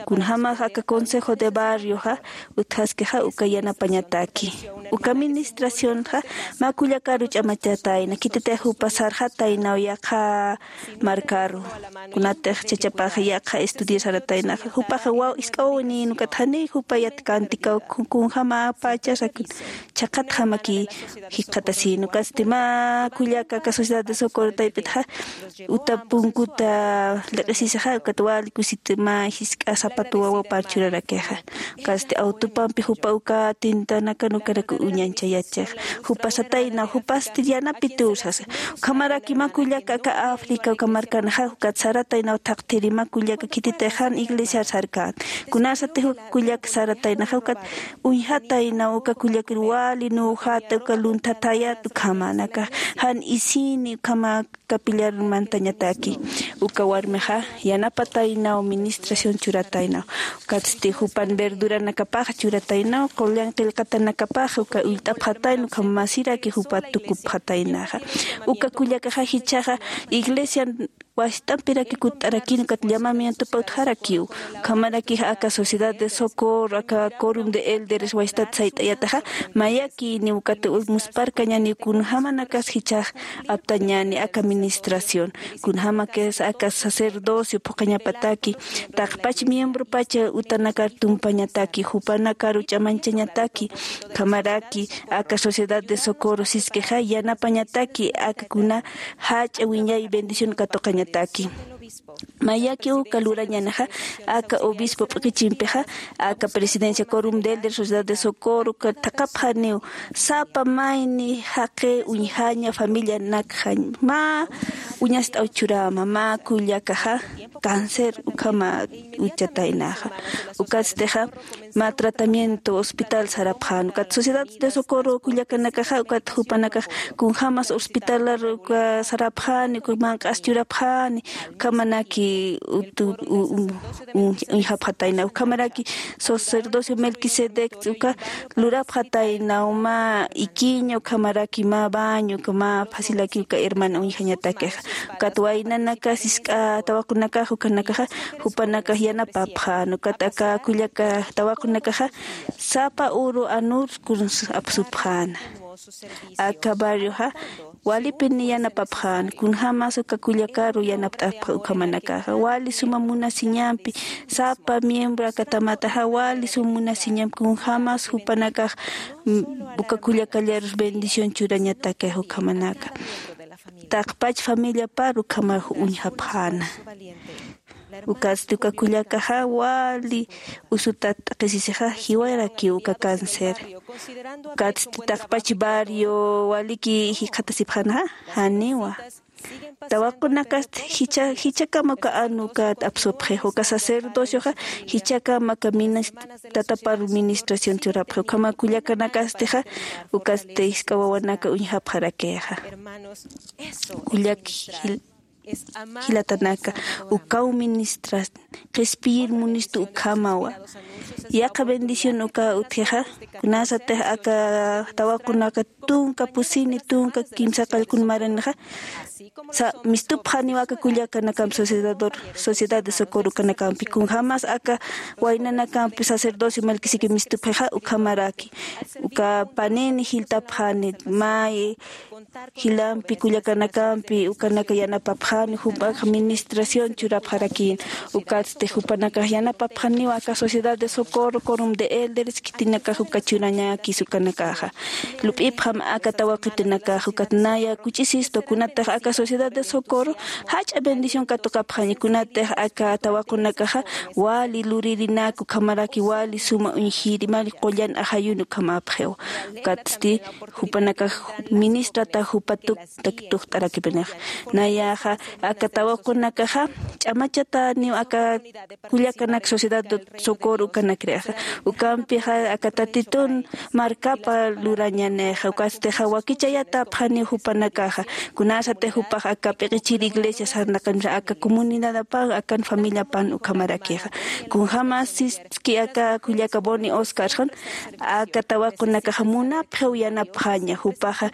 Kunjämax aka consejo de barrioxa utjaskixa uka yanapañataki. Uka administracionxa mä kullakaru ch'amachatayna, khititix jupa sarxataynaw yaqha markaru. Kunatix chachapax yaqha estudiar sarataynaxa, jupaxa waw, jisk'a wawanïn, ukat janiy jupa yat cantikaw kun-, kunjämäpacha sakun chhaqhatjamaki jikxatasïn. Ukatsti mä kullaka aka Sociedad de Socorro taypitxa uta punkuta liq'isisixa, ukat wali kusit mä jisk'a zapato wawapar churarakixa. Ukasti autopampi jupa uka tintanakan ukanak uñanchayachix. Jupa sataynaw, jupasti yanapitur sasa. Ukhamaraki mä kullaka aka África uka markanaxa, ukat sarataynaw thaqthiri mä kullaka khititix jan iglesiar sarkän. Kunasatix uka kullaka sarataynaxa, ukat uñjataynaw uka kullakir wali nüxata, uka lunthathayat ukhamanakax. Jan isini ukhama capillar mantañataki. Uka warmixa yanapataynaw, administración churataynaw. Ukatsti jupan verduranakapax churataynaw, qullan qillqatanakapax uka ullt'apxatayna, ukham masiraki jupa tukupxataynaxa. Uka kullakaxa jichhaxa iglesian wasistampiraki kutt'arakin, ukat llamamientopa utjarakiw. Ukhamaraki aka Sociedad de Socorro, aka Corum de Elderes wasitat sayt'ayataxa, mayakïni ukat musparkañäni kunjämanakas jichhax aptañäni aka administración, kunjämakas aka sacerdocio phuqañapataki, taqpach miembropacha utanakar tumpañataki, jupanakaru ch'amanchañataki. Ukhamaraki aka Sociedad de Socorro siskixa yanapañataki aka kuna jach'a wiñay bendición katuqañataki. Mayaki uka lurañänixa, aka obispo p'iqichimpixa, aka presidencia Corum del de Sociedad de Socorro, uka thaqhapxaniw sapa mayni jaqi uñjaña familianakxañ, mä uñast'aw churäma, mä kullakaxa cáncer ukhama uchataynaxa. Ukatstixa mä tratamiento hospital sarapxän. Ukat Sociedad de Socorro kullakanakaxa, ukat jupanakax kunjämas hospitalar uka sarapxäni, uka manq'as churapxäni, ukhamanaki utu-, u-, u-, u-, uñjapxatayna. Ukhamaraki sacerdocio Melquisedec uka lurapxataynaw mä ikiña, ukhamaraki mä baño, uka mä facilaki uka hermana uñjañatakixa. Ukat waynanakas jisk'a tawaqunakax ukanakaxa, jupanakax yanapapxän. Ukat aka kullaka tawaqunakaxa sapa uru anur kuns apsupxäna. Aka barrioxa walipini yanapapxän, kunjämas uka kullakaru yanapt'apxä ukhamanakaxa. Wali suma munasiñampi, sapa miembro aka tamataxa wali suma munasiñampi, kunjämas jupanakax, mm, uka kullakallarus bendición churañatakix ukhamanaka. Taqpach familiapar ukhamax uñjapxäna. Ukatsti uka kullakaxa wali usutat t'aqhisisixa jiwarakiw uka cáncer. Ukatsti taqpach barrio waliki jikxatasipxänaxa, janiwa. Tawaqunakasti jichha jichhakama uka anu ukat apsupxi uka sacerdocioxa jichhakama aka minis tatapar ministración churapxi ukhama kullakanakastixa. Ukasti jisk'a wawanaka uñjapxarakixa kullak jil- jilatanaka ukaw ministras qhispiyir munistu ukhamawa. Yaqha bendición uka utjixa kunasatix aka tawaqunaka tunka pusini tunka kimsa qallqun maranixa sa mistupxaniw aka kullakanakampi sociedador sociedad de socorro ukanakampi kunjämas aka waynanakampi sacerdocio melquisiki mistupxixa ukhamaraki uka panini jiltapxani may jilampi kullakanakampi ukanaka yanapapxani jupax administración churapxarakïn. Ukatsti jupanakax yanapapxaniw aka sociedad de socorro corum de elderes khitinakax uka churañakis ukanakaxa lup'ipxam aka tawaqitunakax ukat naya kuch'isistu kunatix aka sociedad de socorro jach'a bendición katuqapxaña kunatix aka tawaqunakaxa wali luririnak ukhamaraki wali suma uñjiri mari qullan ajayun ukhamapxiw. Ukatsti jupanakax ministrata jupa tuktak tukt'arakipinixa nayaxa aka tawaqunakaxa ch'amachataniw aka kullakanak sociedad de socorro ukanakrixa ukampixa aka tatitun markapa lurañanixa ukastixa wakichayatapxaniw jupanakaxa kunasatix jupax aka p'iqichir iglesia sarnaqanxa aka comunidadapan akan familiapan ukhamarakixa kunjämas siski aka kullaka boni oscarxan aka tawaqunakaxa munapxiw yanapxaña jupaxa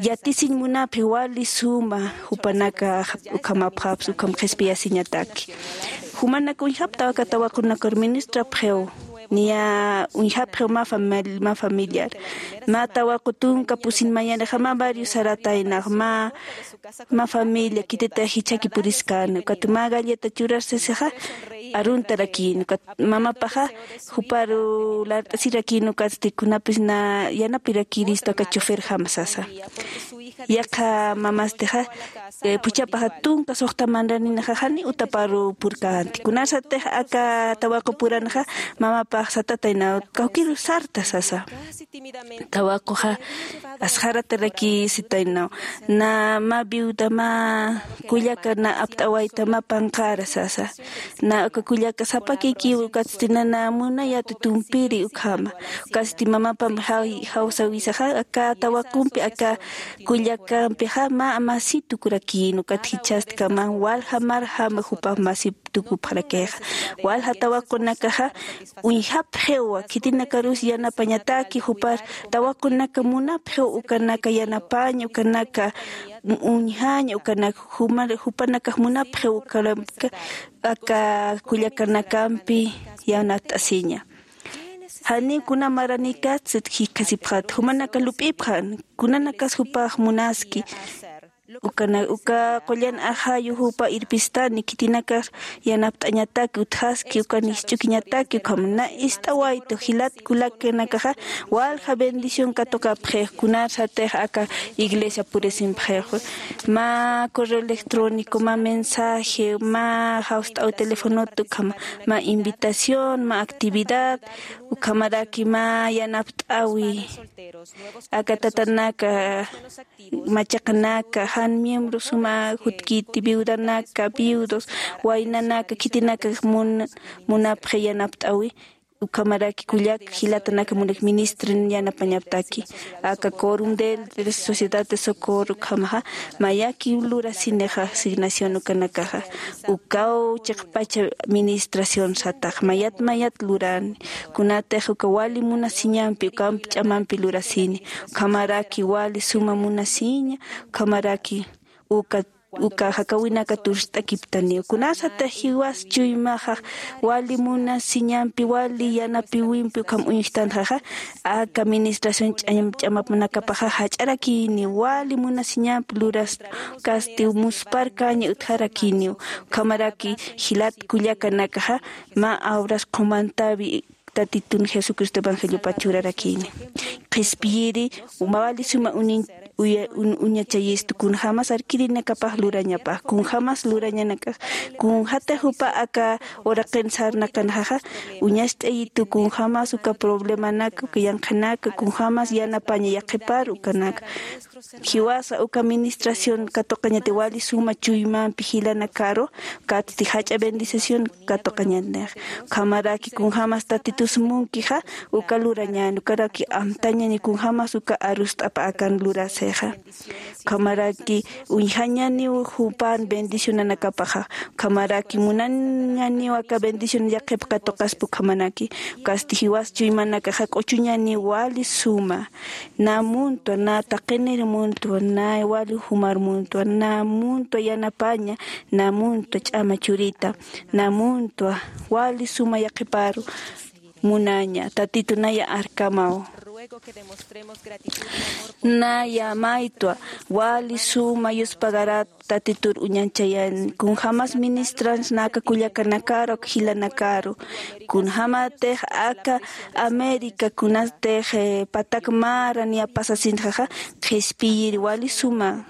yatisiñ munapxi wali suma jupanakax ukhamapxapsa ukham qhispiyasiñataki. Jumanak uñjaptaw aka tawaqunakar ministrapxiw niya uñjapxiw mä familiar mä tawaqu tunka pusin mayanixama varios sarataynax mä mä familia khititix jichhaki puriskän ukat mä galleta churar sisixa aruntarakïn ukat mamapaxa juparu lart'asirakïn ukatsti kunapis na yanapirakïristu aka choferjama sasa. Yaqha mamastixa phuchhapaxa tunka suxta manraninaxa janiw utaparu purkänti kunasatix aka tawaqu puranxa mamapax satataynaw kawkiru sarta sasa. Tawaquxa asxaratarakïsitaynaw na mä viuda mä kullaka na apt'awayta mä panqara sasa. Na uka kullaka sapakikiw ukatsti nana munayäti tumpiri ukhama ukatsti mamapam jawsawisaxa aka tawaqumpi aka kullakampixa mä masi tukurakïn ukat jichhastkama walja marjama jupa masi tukupxarakixa. Walja tawaqunakaxa uñjapxiwa khitinakarus yanapañataki jupar tawaqunaka munapxiw ukanaka yanapaña ukanaka uñjaña ukanaka jupanakax munapxiw ukanaka aka kullakanakampi yanapt'asiña. Janiw kuna maranïkatsit jikxasipxat jumanaka lup'ipxan kunanakas jupax munaski. Uka qullan ajayu jupa irpistani khitinakar yanapt'añataki utjaski ukan jisch'ukiñataki ukham na ist'awaytu jilat kulakanakaxa walja bendición katuqapxix kunarsatix aka iglesia purisimpxix mä correo electrónico mä mensaje mä jawst'aw telefonot ukhama mä invitación mä actividad ukhamaraki mä yanapt'awi aka tatanaka machaqanaka jan miembro suma jutkiti viudanaka viudos waynanaka khitinaka munapxi yanapt'awi. Ukhamaraki kullak jilatanaka munak ministrin yanapañaptaki aka corum del sociedad de socorro ukhamaxa mayaki lurasinixa asignación ukanakaxa ukaw chiqpacha ministración satax mayat mayat lurani kunatix uka wali munasiñampi ukamp ch'amampi lurasini ukhamaraki wali suma munasiña ukhamaraki uka uka jakawinaka turst'akiptaniw kunasatix jiwas chuymaxax wali munasiñampi wali yanapiwimpi ukham uñjtanxaxa aka administración ch'amapnakapaxa jach'arakini wali munasiñampi luras kasti muspar kaña utjarakiniw ukhamaraki jilat kullakanakaxa mä awras qhumantawi tatitun jesucristo evangeliopa churarakini qhispiyiri wali suma unin uya-, un-, uñachayistu kunjämas arkirinakapax lurañapax, kunjämas lurañanakax, kunjatix jupa aka uraqin sarnaqanxaxa, uñacht'ayitu kunjämas uka problemanak, uka yanqhanak, kunjämas yanapaña yaqhipar ukanak. Jiwasa uka administración katuqañati wali suma chuymampi jilanakaru, ukatsti jach'a bendicición katuqañanix. Ukhamaraki kunjämas Tatitus munkixa, uka lurañäni, ukaraki amtañäni kunjämas uka arust'apa akan lurasixa. Ukhamaraki uñjañäniw jupan bendicionanakapaxa. Ukhamaraki munañäniw aka bendición yaqhip katuqaspa ukhamanaki. Ukasti jiwas chuymanakaxa q'uchuñäniw wali suma. Nä muntwa, nä taqinir muntwa, nä wali jumar muntwa, nä muntwa yanapaña, nä muntwa ch'ama churita, nä muntwa wali suma yaqhiparu munaña, Tatitu naya arkamaw. Naya maytwa, wali suma yuspagarat Tatitur uñañchayan, kunjämas ministrans nä aka kullakanakaru, aka jilanakaru, kunjämatix aka América, kunatix, eh, patak mara niya pasasinxaxa, qhispiyir wali suma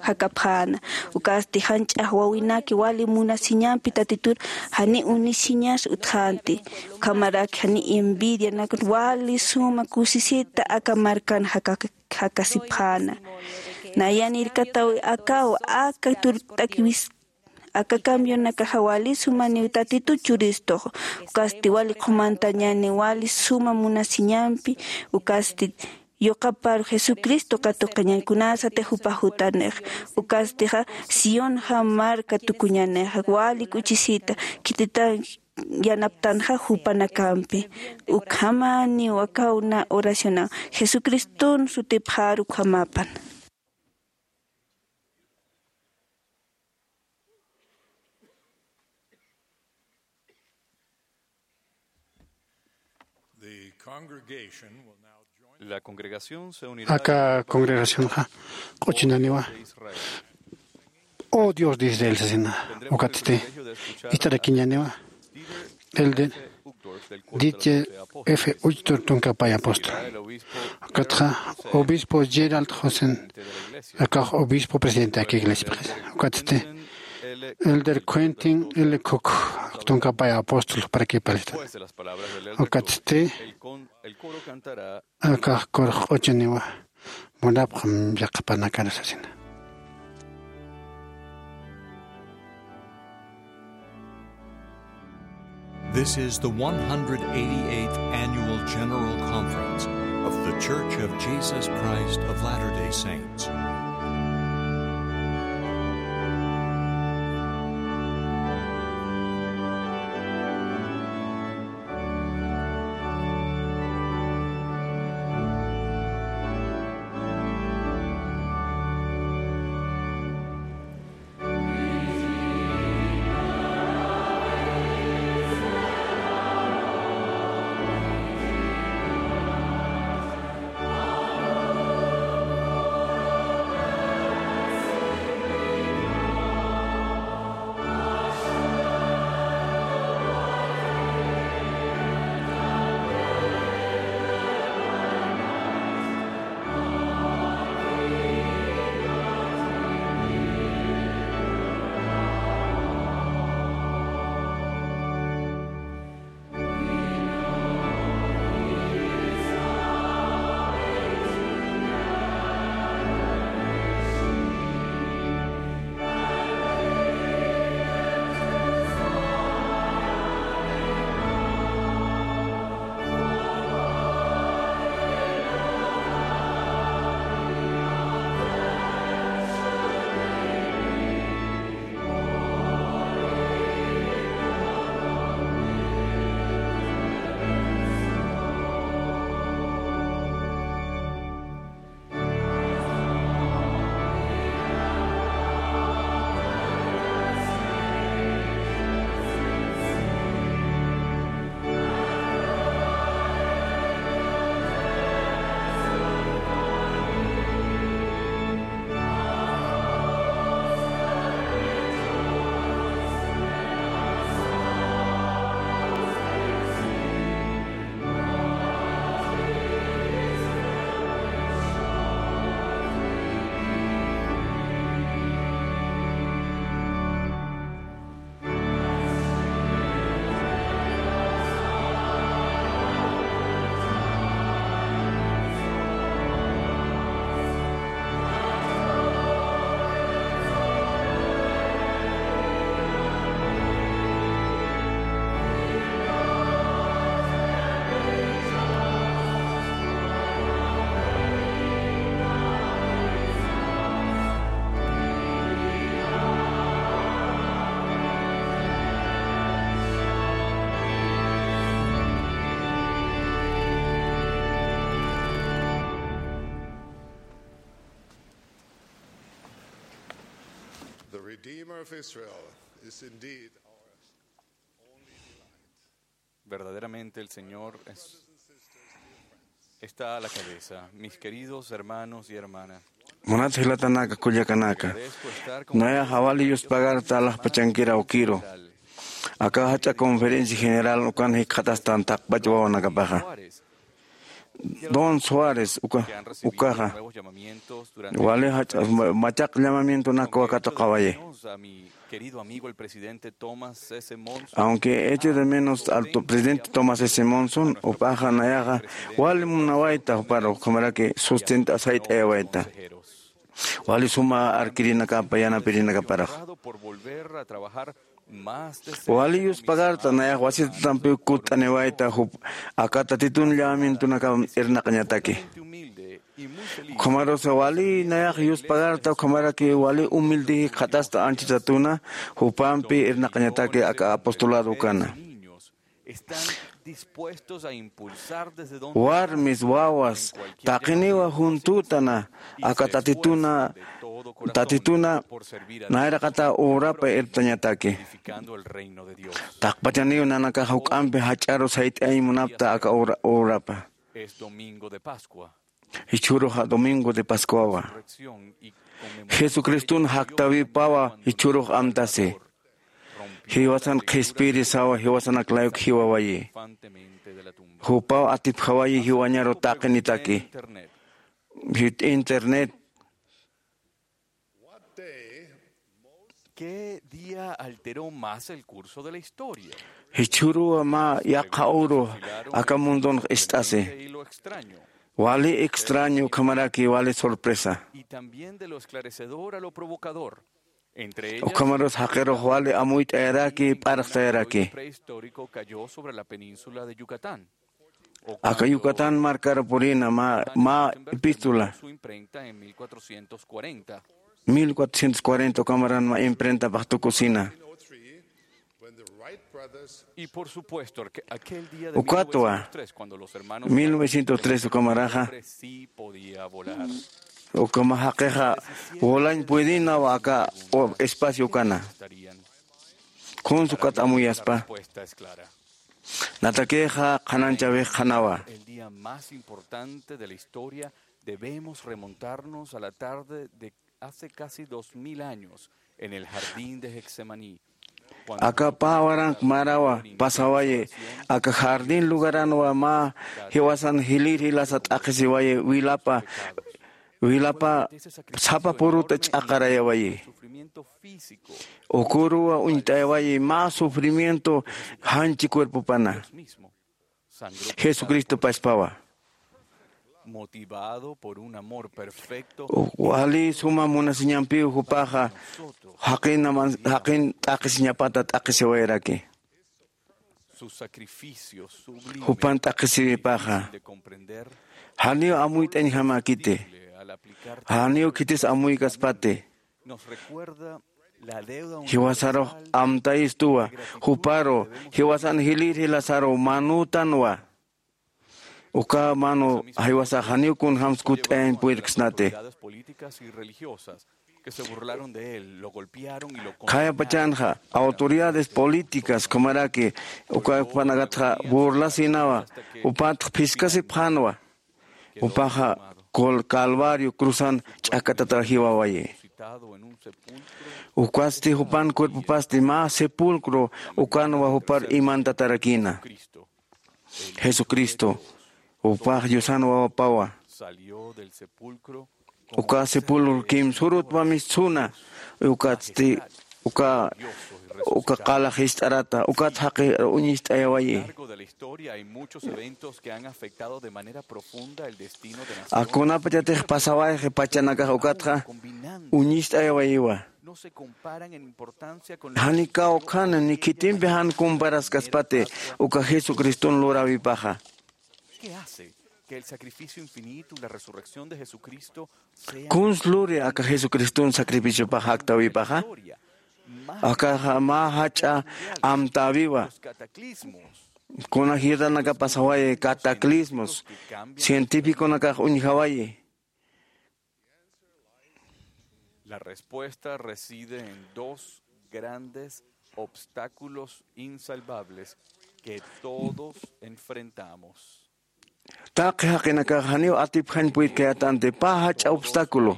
jakapxäna. Ukasti janch'ax wawinaki wali munasiñampi Tatitur jani unisiñas utjänti. Ukhamaraki jani envidianak wali suma kusisita aka markan jaka-, jakasipxäna. Nayan irkatawi akaw, aka turkt'akiwis, aka cambion nakaxa wali sumaniw Tatitu churistux. Ukasti wali qhumantañäni wali suma munasiñampi, ukasti yuqaparu Jesucristo katuqañäni, kunasatix jupa jutanix. Ukastixa Sionxa marka tukuñänix, wali k'uchisita, khititan yanaptanxa jupanakampi. Ukhamaniw akaw nä oracionaw. Jesucriston sutipxaru ukhamapan. The congregation will now join. La congregación se unirá. Aka congregacionxa q'uchuñäniwa. Oh Dios de Israel, sasina. Ukatsti ist'arakiñäniwa. El de Dieter F. Uchtdorf tunka pay apóstol. Ukatxa obispo Gerald Josen, akax obispo presidente aka iglesiapxis. Ukatsti elder Quentin L. Cook, tunka pay apóstol, para que palestan. Ukatsti akax kurux q'uchuñäniwa, munapxam yaqhipanakar sasina. This is the one hundred eighty-eighth Annual General Conference of The Church of Jesus Christ of Latter-day Saints. Redeemer of Israel is indeed our only delight. Verdaderamente el Señor es, está a la cabeza. Mis queridos hermanos y hermanas, munat jilatanaka, kullakanaka, agradezco estar con nayax wali yuspagarta alaxpachankir awkiru. Aka jach'a conferencia general ukan jikxatastan taqpach wawanakapaxa. Don Suárez uka, ukaxa wali jach'a ma-, machaq llamamientonakwa katuqawayi. Aunque eche de menos al to-, presidente Thomas S. Monson, jupaxa nayaxa wali munawayta, jupar ukhamaraki sustenta sayt'ayawayta. Wali suma arkirinakapa, yanapirinakaparax. Wali yuspagarta nayax wasitatampiw kutt'aniwayta, jup aka Tatitun llamamientonakam irnaqañataki. Ukhamarusa wali nayax yuspagarta, ukhamaraki wali humilde jikxatasta anchhitatuna, jupampi irnaqañataki aka apostolado ukana. Están dispuestos a impulsar desde donde warmis, wawas, taqiniwa juntutana aka Tatituna, Tatituna nayraqata urapa irptañataki. Taqpachaniw nanakax juk'ampi jach'aru sayt'ayañ munapta aka ura-, urapa. Jichhüruxa Domingo de Pascuawa. Jesucristun jaktawipawa jichhürux amtasi. Jiwasan qhispiyirisawa, jiwasanak layuk jiwawayi. Jupaw atipjawayi jiwañaru taqinitaki. Jit internet. ¿Qué día alteró más el curso de la historia? Jichhüruwa mä yaqha uru aka mundunx ist'asi. Wali extraño, ukhamaraki wali sorpresa. Y también de lo esclarecedor a lo provocador. Entre ellas, ukhamarus jaqirux wali amuyt'ayaraki, p'arxtayaraki. Prehistórico cayó sobre la península de Yucatán. Aka Yucatán markar purina mä, mä epístola. Su imprenta en mil cuatrocientos cuarenta. Mil cuatrocientos cuarenta ukhamaran mä imprentapax tukusina. Y por supuesto, aqu-, aquel día de ukatwa, mil novecientos tres, cuando los hermanos mil novecientos tres ukhamaraxa, sí podía volar. Ukhama jaqixa volañ puedinawa aka espacio ukana. Kunsa ukat amuyaspa. Natakixa qhananchawix qhanawa. El día más importante de la historia, debemos remontarnos a la tarde de hace casi dos mil años en el jardín de Getsemaní. Aka pä waranq marawa pasawayi, aka jardín lugaranwa mä jiwasan jilïr jilasa t'aqhisiwayi, wilapa, wilapa sapa puruta ch'aqarayawayi. Uküruwa uñt'ayawayi mä sufrimiento janchi cuerpopana. Jesucristo paspawa. Motivado por un amor perfecto. Wali suma munasiñampiw jupaxa jaqin aman-, jaqin t'aqhisiñapata t'aqhisiwayaraki. Su sacrificio sublime, jupan t'aqhisiwipaxa, difícil de comprender, janiw amuyt'añjamäkiti, imposible al aplicar, janiw khitis amuykaspati. Nos recuerda la deuda jiwasarux universal amtayistuwa, de gratitud juparu, que debemos jiwasan jilïr jilasaru manütanwa. Uka manu jiwasax janiw kunjams kutt'ayañ puyirksnati. Autoridades políticas y religiosas que se burlaron de él, lo golpearon y lo condenaron. Khayapachanxa autoridades políticas ukhamaraki uka jupanakatxa burlasinawa, jupatx phiskasipxänwa. Jupaxa col-, Calvario cruzan ch'akatata jiwawayi. Ukasti jupan cuerpopasti mä sepulcro ukanwa jupar imantatarakïna. Jesucristo, jupax Diosan wawapawa. Uka sepulcro kimsürutwa mistsuna, ukatsti, uka, uka qala jist'arata, ukat jaqi uñist'ayawayi. Akunapachatix pasawayxi pachanakax ukatxa uñist'ayawayiwa. Jani kawkhani ni khitimpi jan comparaskaspati uka Jesucriston luräwipaxa. Kuns luri aka Jesucriston sacrificiopax jaktäwipaxa. Akaxa mä jach'a amtäwiwa. Kuna jilanaka pasawayi cataclismos, científiconakax uñjawayi. La respuesta reside en dos grandes obstáculos insalvables que todos enfrentamos. Taqi jaqinakax janiw atipjañ puytkayätanti pä jach'a obstáculo.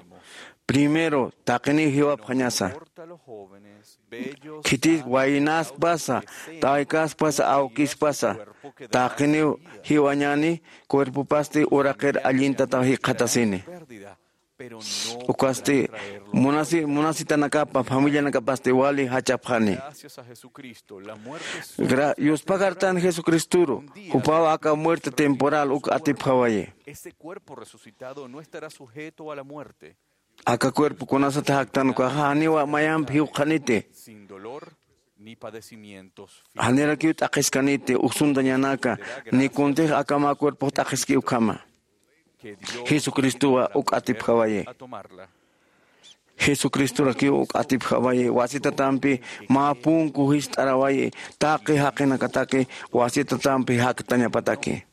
Primero, taqiniw jiwapxañasa. Khitis waynaspasa, taykaspasa, awkispasa, taqiniw jiwañäni, cuerpopasti uraqir allintatwa jikxatasini. Ukasti munasi, munasitanakapa, familianakapasti wali jachapxani. Gra-, yuspagartan Jesucristuru, jupaw aka muerte temporal uk atipjawayi. Ese cuerpo resucitado no estará sujeto a la muerte. Aka cuerpo kunasat jaktan ukaxa janiwa mayamp jiwqaniti. Sin dolor ni padecimientos. Janirakiw t'aqhiskaniti, uksuntañanaka, ni kuntix akama cuerpox t'aqhiski ukhama. Jesucristowa uk atipjawayi. Jesucristorakiw uk atipjawayi, wasitatampi mä punku jist'arawayi, taqi jaqinakataki wasitatampi jaktañapataki.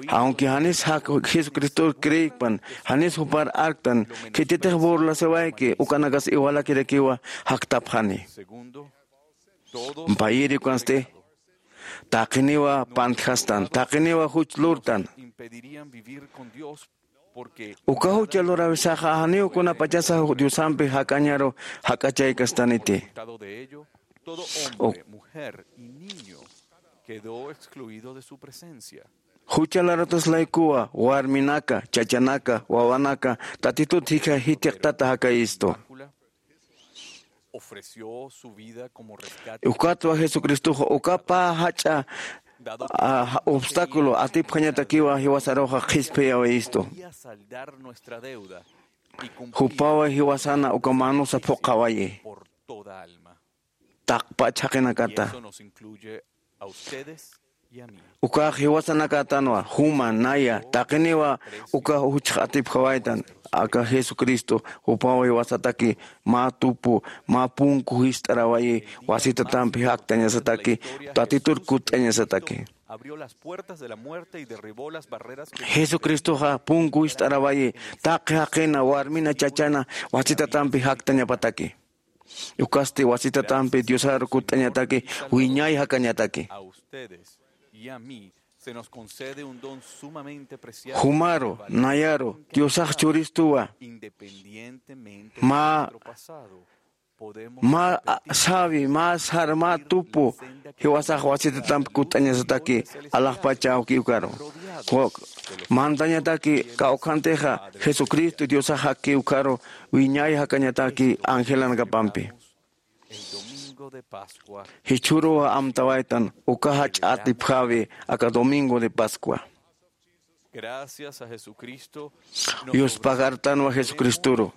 Aunque janis jak-, Jesucristor creekpan, janis jupar arktan, khititix burlasiwayki, ukanakas iwalakirakiwa jaktapxani. Payïri ukansti, taqiniwa pantjastan, taqiniwa juch lurtan. Uka jucha lurawisaxa janiw kunapachasa Diosampi jakañaru jak'achaykastaniti. Uk- Jucha larutas laykuwa, warminaka, chachanaka, wawanaka, Tatitut jikha jithiqtata jakayistu. Ukatwa Jesucristoxa uka pä jach'a, a, obstáculo atipjañatakiwa jiwasaruxa qhispiyawayistu. Jupawa jiwasana uka manusa phuqhawayi. Taqpach jaqinakata. Ukax jiwasanakatanwa, juma, naya, taqiniwa uka juchx atipjawaytan, aka Jesucristo, jupaw jiwasataki, mä tupu, mä punku jist'arawayi, wasitatampi jaktañasataki, Tatitur kutt'añasataki. Jesucristoxa punku jist'arawayi, taqi jaqina, warmina, chachana, wasitatampi jaktañapataki. Ukasti wasitatampi Diosaru kutt'añataki, wiñay jakañataki. Jumaru, nayaru, Diosax churistuwa. Mä, mä, a, sawi, mä sar, mä tupu, jiwasax wasitatampi kutt'añasataki, alaxpach awki ukaru. Ku-, mantañataki, kawkhantixa, Jesucristo Diosax jakki ukaru, wiñay jakañataki angelanakapampi. Jichhüruw amtawaytan uka jach'a atipjawi aka domingo de Pascua. Yuspagartanwa Jesucristuru.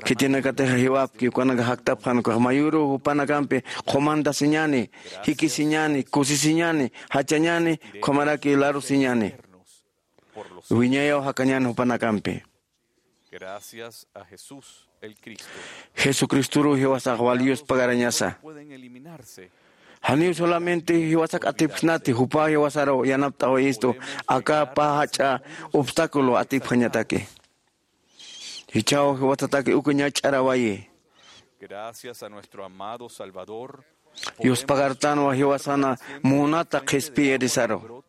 Khitinakatixa jiwapki, ukanaka jaktapxan, ukax mayüruw jupanakampi qhumantasiñäni, jikisiñäni, kusisiñäni, jachañäni, ukhamaraki larusiñäni. Wiñayaw jakañäni jupanakampi. Jesucristoruw jiwasax wali yuspagarañasa. Janiw solamente jiwasak atipjsnati, jupaw jiwasaruw yanapt'awayistu, aka pä jach'a obstáculo atipjañataki. Jichhaw jiwasataki uka ñach'arawayi. Yuspagartanwa jiwasana munata qhispiyirisaru.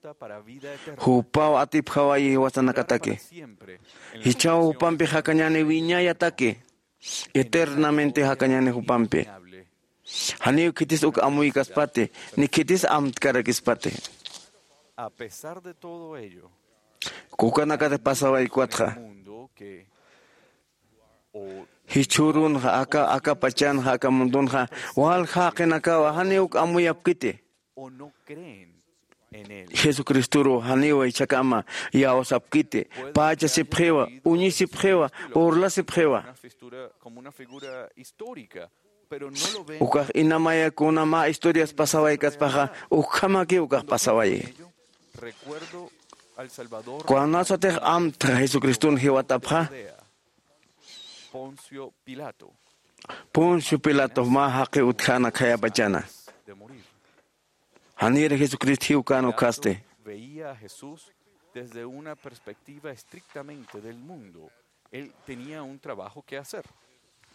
Jupaw atipjawayi jiwasanakataki. Jichhaw jupampi jakañäni wiñayataki. Eternamente jakañäni jupampi. Janiw khitis uk amuykaspati, ni khitis amtkarakïspati. Ukanakata pasawaykuwatxa. Jichhürunxa, aka, aka pachanxa, aka mundunxa, walja jaqinakawa, janiw uk amuyapkiti. Jesucristoruw janiw jichhakama iyawsapkiti, pachasipxiwa, uñisipxiwa, burlasipxiwa. Ukax inamaya kuna mä historias pasawaykaspaxa, ukhamaki ukax pasawayi. Kunasatix amtxa Jesucriston jiwatapxa, Poncio Pilato mä jaqi utjäna khayapachana. Janir Jesucristo jiwkän ukhasti. desde una perspectiva estrictamente del mundo. Él tenía un trabajo que hacer.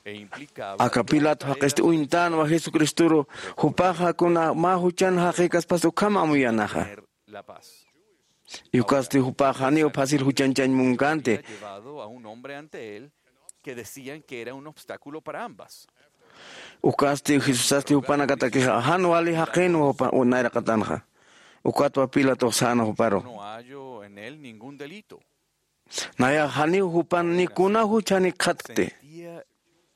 E implicaba... Aka Pilato jaqisti uñtänwa Jesucristoru, jupaxa kuna mä juchan jaqïkaspas ukham amuyänaxa. Tener la paz. Y ukasti jupaxa janiw fácil juchañchañ munkänti. Había llevado a un hombre ante él que decían que era un obstáculo para ambas. Ukasti Jesusasti jupanakatakixa jan wali jaqïnwa jupa nayraqatanxa. Ukatwa Pilatox sänwa juparu. No hallo en él ningún delito. Nayax janiw jupan ni kuna juch janik qhatkti. Sentía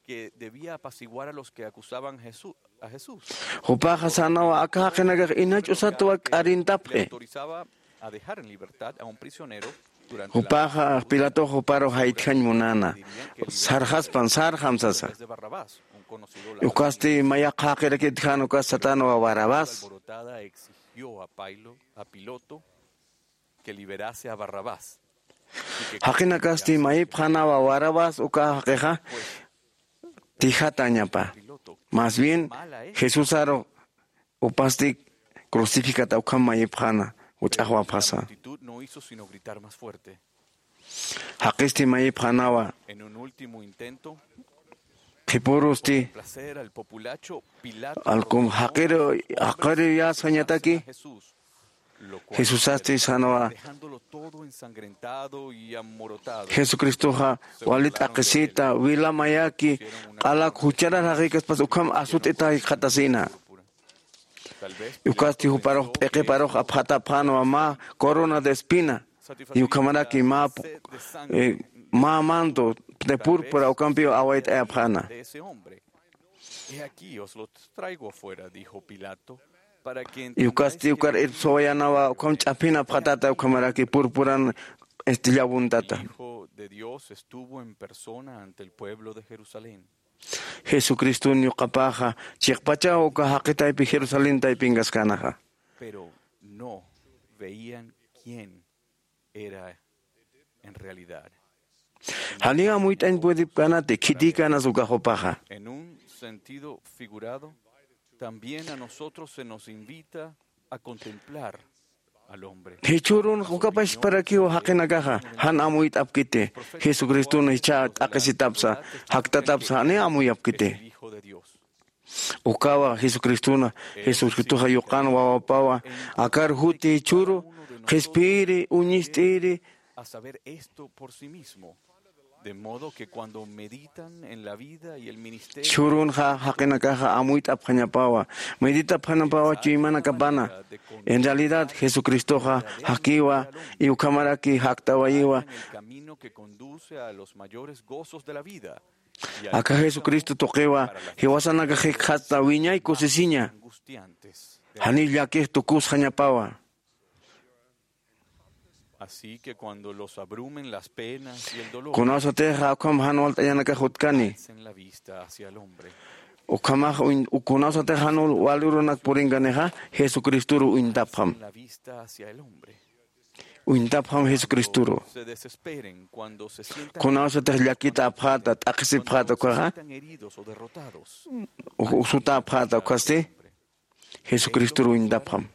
que debía apaciguar a los que acusaban Jesús, a Jesús. Jupaxa sänwa aka jaqinakax inach'usatwa k'arintapxi. Le autorizaba a dejar en libertad a un prisionero durante la... Jupaxa Pilatox juparu jaytjañ munäna. Sarxaspan, sarxam sasa. Después de Barrabás, un conocido ladrón. Ukasti mayaqha jaqirakit jan ukas satänwa Barrabás. Alborotada exigió a Pailo-, a Piloto que liberase a Barrabás. Jaqinakasti mayipxänwa Barrabás uka jaqixa tijatañapa. Más bien, Jesusaru jupasti crucificata ukham mayipxäna, juch'axwapxasa. La multitud no hizo sino gritar más fuerte. Jaqisti mayipxänwa. En un último intento, qhipurusti, placer al populacho, Pilato alkum jaqiru, jaqiruyasxañataki. Jesusasti sänwa. Jesucristoxa wali t'aqhisita, wila mayaki, q'alak jucharar jaqïkaspas ukham asut'ita jikxatasïna. Ukasti juparux p'iqiparux apxatapxänwa mä corona de espina, y ukhamaraki mä, eh, mä manto de púrpura ukampiw awayt'ayapxäna. He aquí, os los traigo afuera, dijo Pilato, para que... Y ukasti ukar irpsawayänawa ukham ch'aphin apxatata ukhamaraki purpuran, este, llavuntata. El Hijo de Dios estuvo en persona ante el pueblo de Jerusalén. Jesucriston yuqapaxa chiqpachaw uka jaqi taypi Jerusalén taypinkaskanaxa. Pero no veían quién era en realidad. Janiw amuyt'añ puedipkänati, khitïkänas uka jupaxa. En un sentido figurado, también a nosotros se nos invita a contemplar al hombre. Jichhürun ukapasparakiw jaqinakaxa jan amuyt'apkiti, Jesucriston jichha t'aqhisitapsa, jaktatapsa, janiw amuyapkiti. El Hijo de Dios. Ukawa Jesucristona, Jesucristoxa yuqan wawapawa, akar juti jichhüru, qhispiyiri, uñist'iri. A saber esto por sí mismo. De modo que cuando meditan en la vida y el ministerio... Jichhürunxa jaqinakaxa amuyt'apxañapawa, meditapxañapawa chuymanakapana. En realidad, Jesucristoxa jakiwa, y ukhamaraki jaktawayiwa. En el camino que conduce a los mayores gozos de la vida. Aka Jesucristo tuqiwa, jiwasanakax jikxatsa wiñay kusisiña. Janiw llakix tukusxañapawa. Así que cuando los abrumen las penas y el dolor, kunawsatixa ukham jan walt'añanakax utkani. Alcen la vista hacia el hombre. Ukhamax uñ-, kunawsatixa jan wal urunak purinkanixa, Jesucristoru uñtapxam. Alcen la vista hacia el hombre. Uñtapxam Jesucristoru. Kunawsatix llakitapxäta, t'aqhisipxäta ukaxa, u-, usutäpxäta ukasti, Jesucristoru uñtapxam.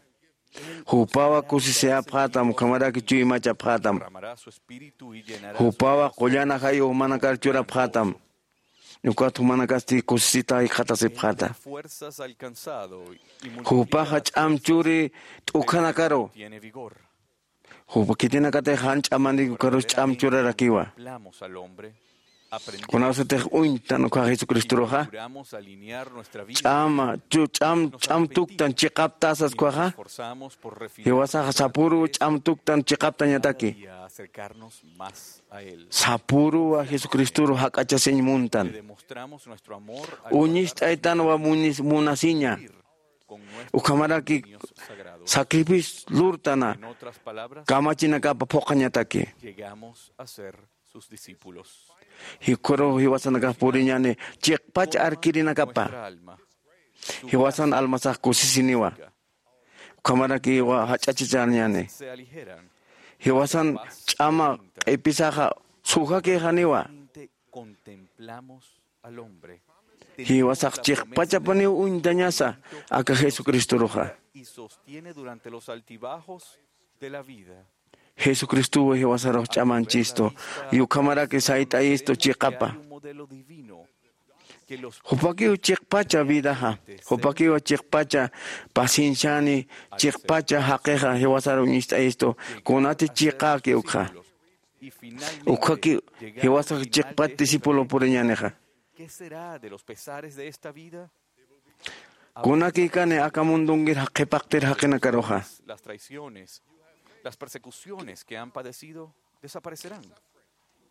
Jupawa kusisiyapxätam, ukhamaraki chuymachapxätam. Jupawa qullan ajayuw jumanakar churapxätam. Ukat jumanakasti kusisita jikxatasipxäta. Jupaxa ch'am churi t'ukhanakaru. Jupa khitinakatix jan ch'amanïki ukarus ch'am churarakiwa. Kunawsatix uñtan ukkha Jesucristoruxa, ch'ama, chu-, ch'am, ch'am tuktan chiqaptasas ukkhaxa, jiwasaxa sapüru ch'am tuktan chiqaptañataki. Sapüruwa Jesucristoru jak'achasiñ muntan. Uñist'aytanwa munis-, munasiña. Ukhamaraki sacrificio lurtana kamachinakapa phuqhañataki. Llegamos a ser sus discípulos. Jikhuruw jiwasanakax puriñäni chiqpach arkirinakapa. Jiwasan almasax kusisiniwa. Ukhamaraki jach'achachañäni. Jiwasan ch'ama q'ipisaxa sujakïxaniwa. Contemplamos al hombre. Jiwasax chiqpachapaniw uñtañasa aka Jesucristoruxa. Y sostiene durante los altibajos de la vida. Jesucristuw jiwasarux ch'amanchistu, y ukhamaraki sayt'ayistu chiqapa. Jupakiw chiqpacha vidaxa, jupakiw chiqpacha pacienciani, chiqpacha jaqixa jiwasaruw ñist'ayistu, kunati chiqäki ukxa. Ukxaki jiwasax chiqpat discípulo puriñänixa. ¿Qué será de los pesares de esta vida? Kunakïkani aka mundunkir qhipaqtir jaqinakaruxa. Las traiciones, las persecuciones que han padecido desaparecerán.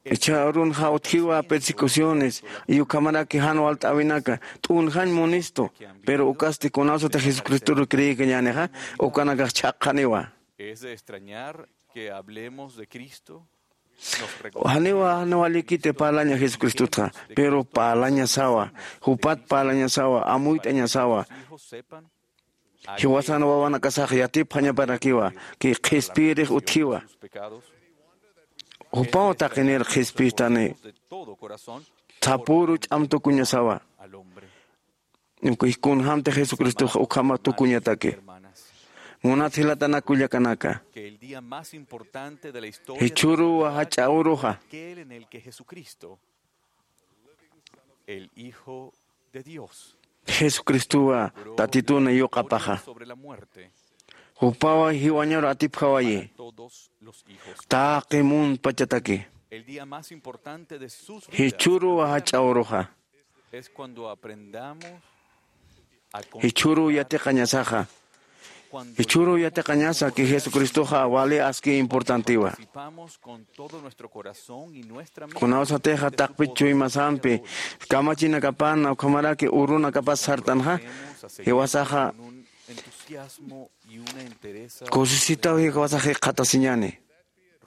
Ichha urunxa utjiwa persecuciones, y ukhamaraki jan walt'äwinaka t'unjañ munistu, pero ukasti kunasatix Jesucristoru creekañänixa, ukanakax chhaqxaniwa. Es de extrañar que hablemos de Cristo. Janiwa, janiwa walikiti parlaña Jesucristotxa, pero parlañasawa, jupat parlañasawa, amuyt'añasawa. Jiwasan wawanakasax yatipxañaparakiwa, ki qhispiyirix utjiwa. Jupaw taqinir qhispistani, sapüru ch'am tukuñasawa. Uka kunjamti Jesucristox ukhama tukuñataki. Munat jilatanak kullakanaka. Jichhüruwa jach'a uruxa. Jesucristowa Tatituna yuqapaxa. Jupawa jiwañaru atipjawayi. Taqi munpachataki. Jichhüruwa jach'a uruxa. Jichhüruw yatiqañasaxa. Jichhüruw yatiqañasa ki Jesucristoxa wali aski importantiwa. Kunawsatixa taqpit chuymasampi kamachinakapan ukhamaraki urunakapas sartanxa, jiwasaxa kusisitaw jiwasax jikxatasiñäni.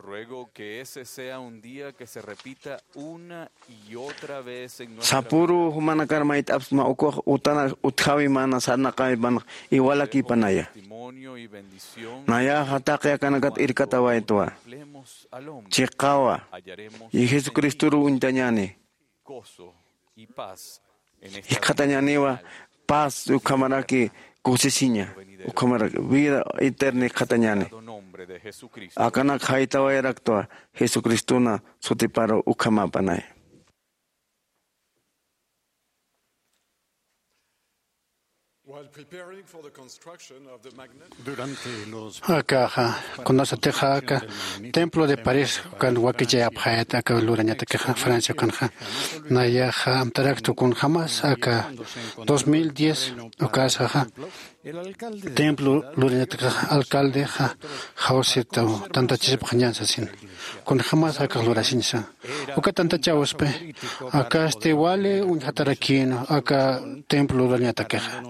Ruego que ese sea un día que se repita una y otra vez en nuestra vida. Sapüru jumanakar mayt'apsma ukux utana utjawi mana sarnaqawi mana iwalakïpanaya. Testimonio y bendición. Nayaxa taqi akanakat irkatawaytwa. Hablemos al hombre. Chiqawa. Hallaremos. Y Jesucristoru uñtañäni. Gozo y paz en esta vida. Jikxatañäniwa paz ukhamaraki kusisiña, ukhamaraki vida eterna jikxatañäni. Nombre de Jesucristo. Akanak jaytawayaraktwa Jesucristuna sutiparu ukhamäpanay. While preparing for the construction of the magnet, Durante los Akaxa, kunasatixa aka templo de París ukan wakichayapxayät aka lurañatakixa Francia ukanxa. Nayaxa amtaraktu kunjämas aka dos mil diez ukasaxa templo lurañatakixa alcaldexa jawsitaw tantachisipxañän sasin. Kunjämas akax lurasiñsa. Uka tantachäwispi, akasti wali uñjatarakïn aka templo lurañatakixa.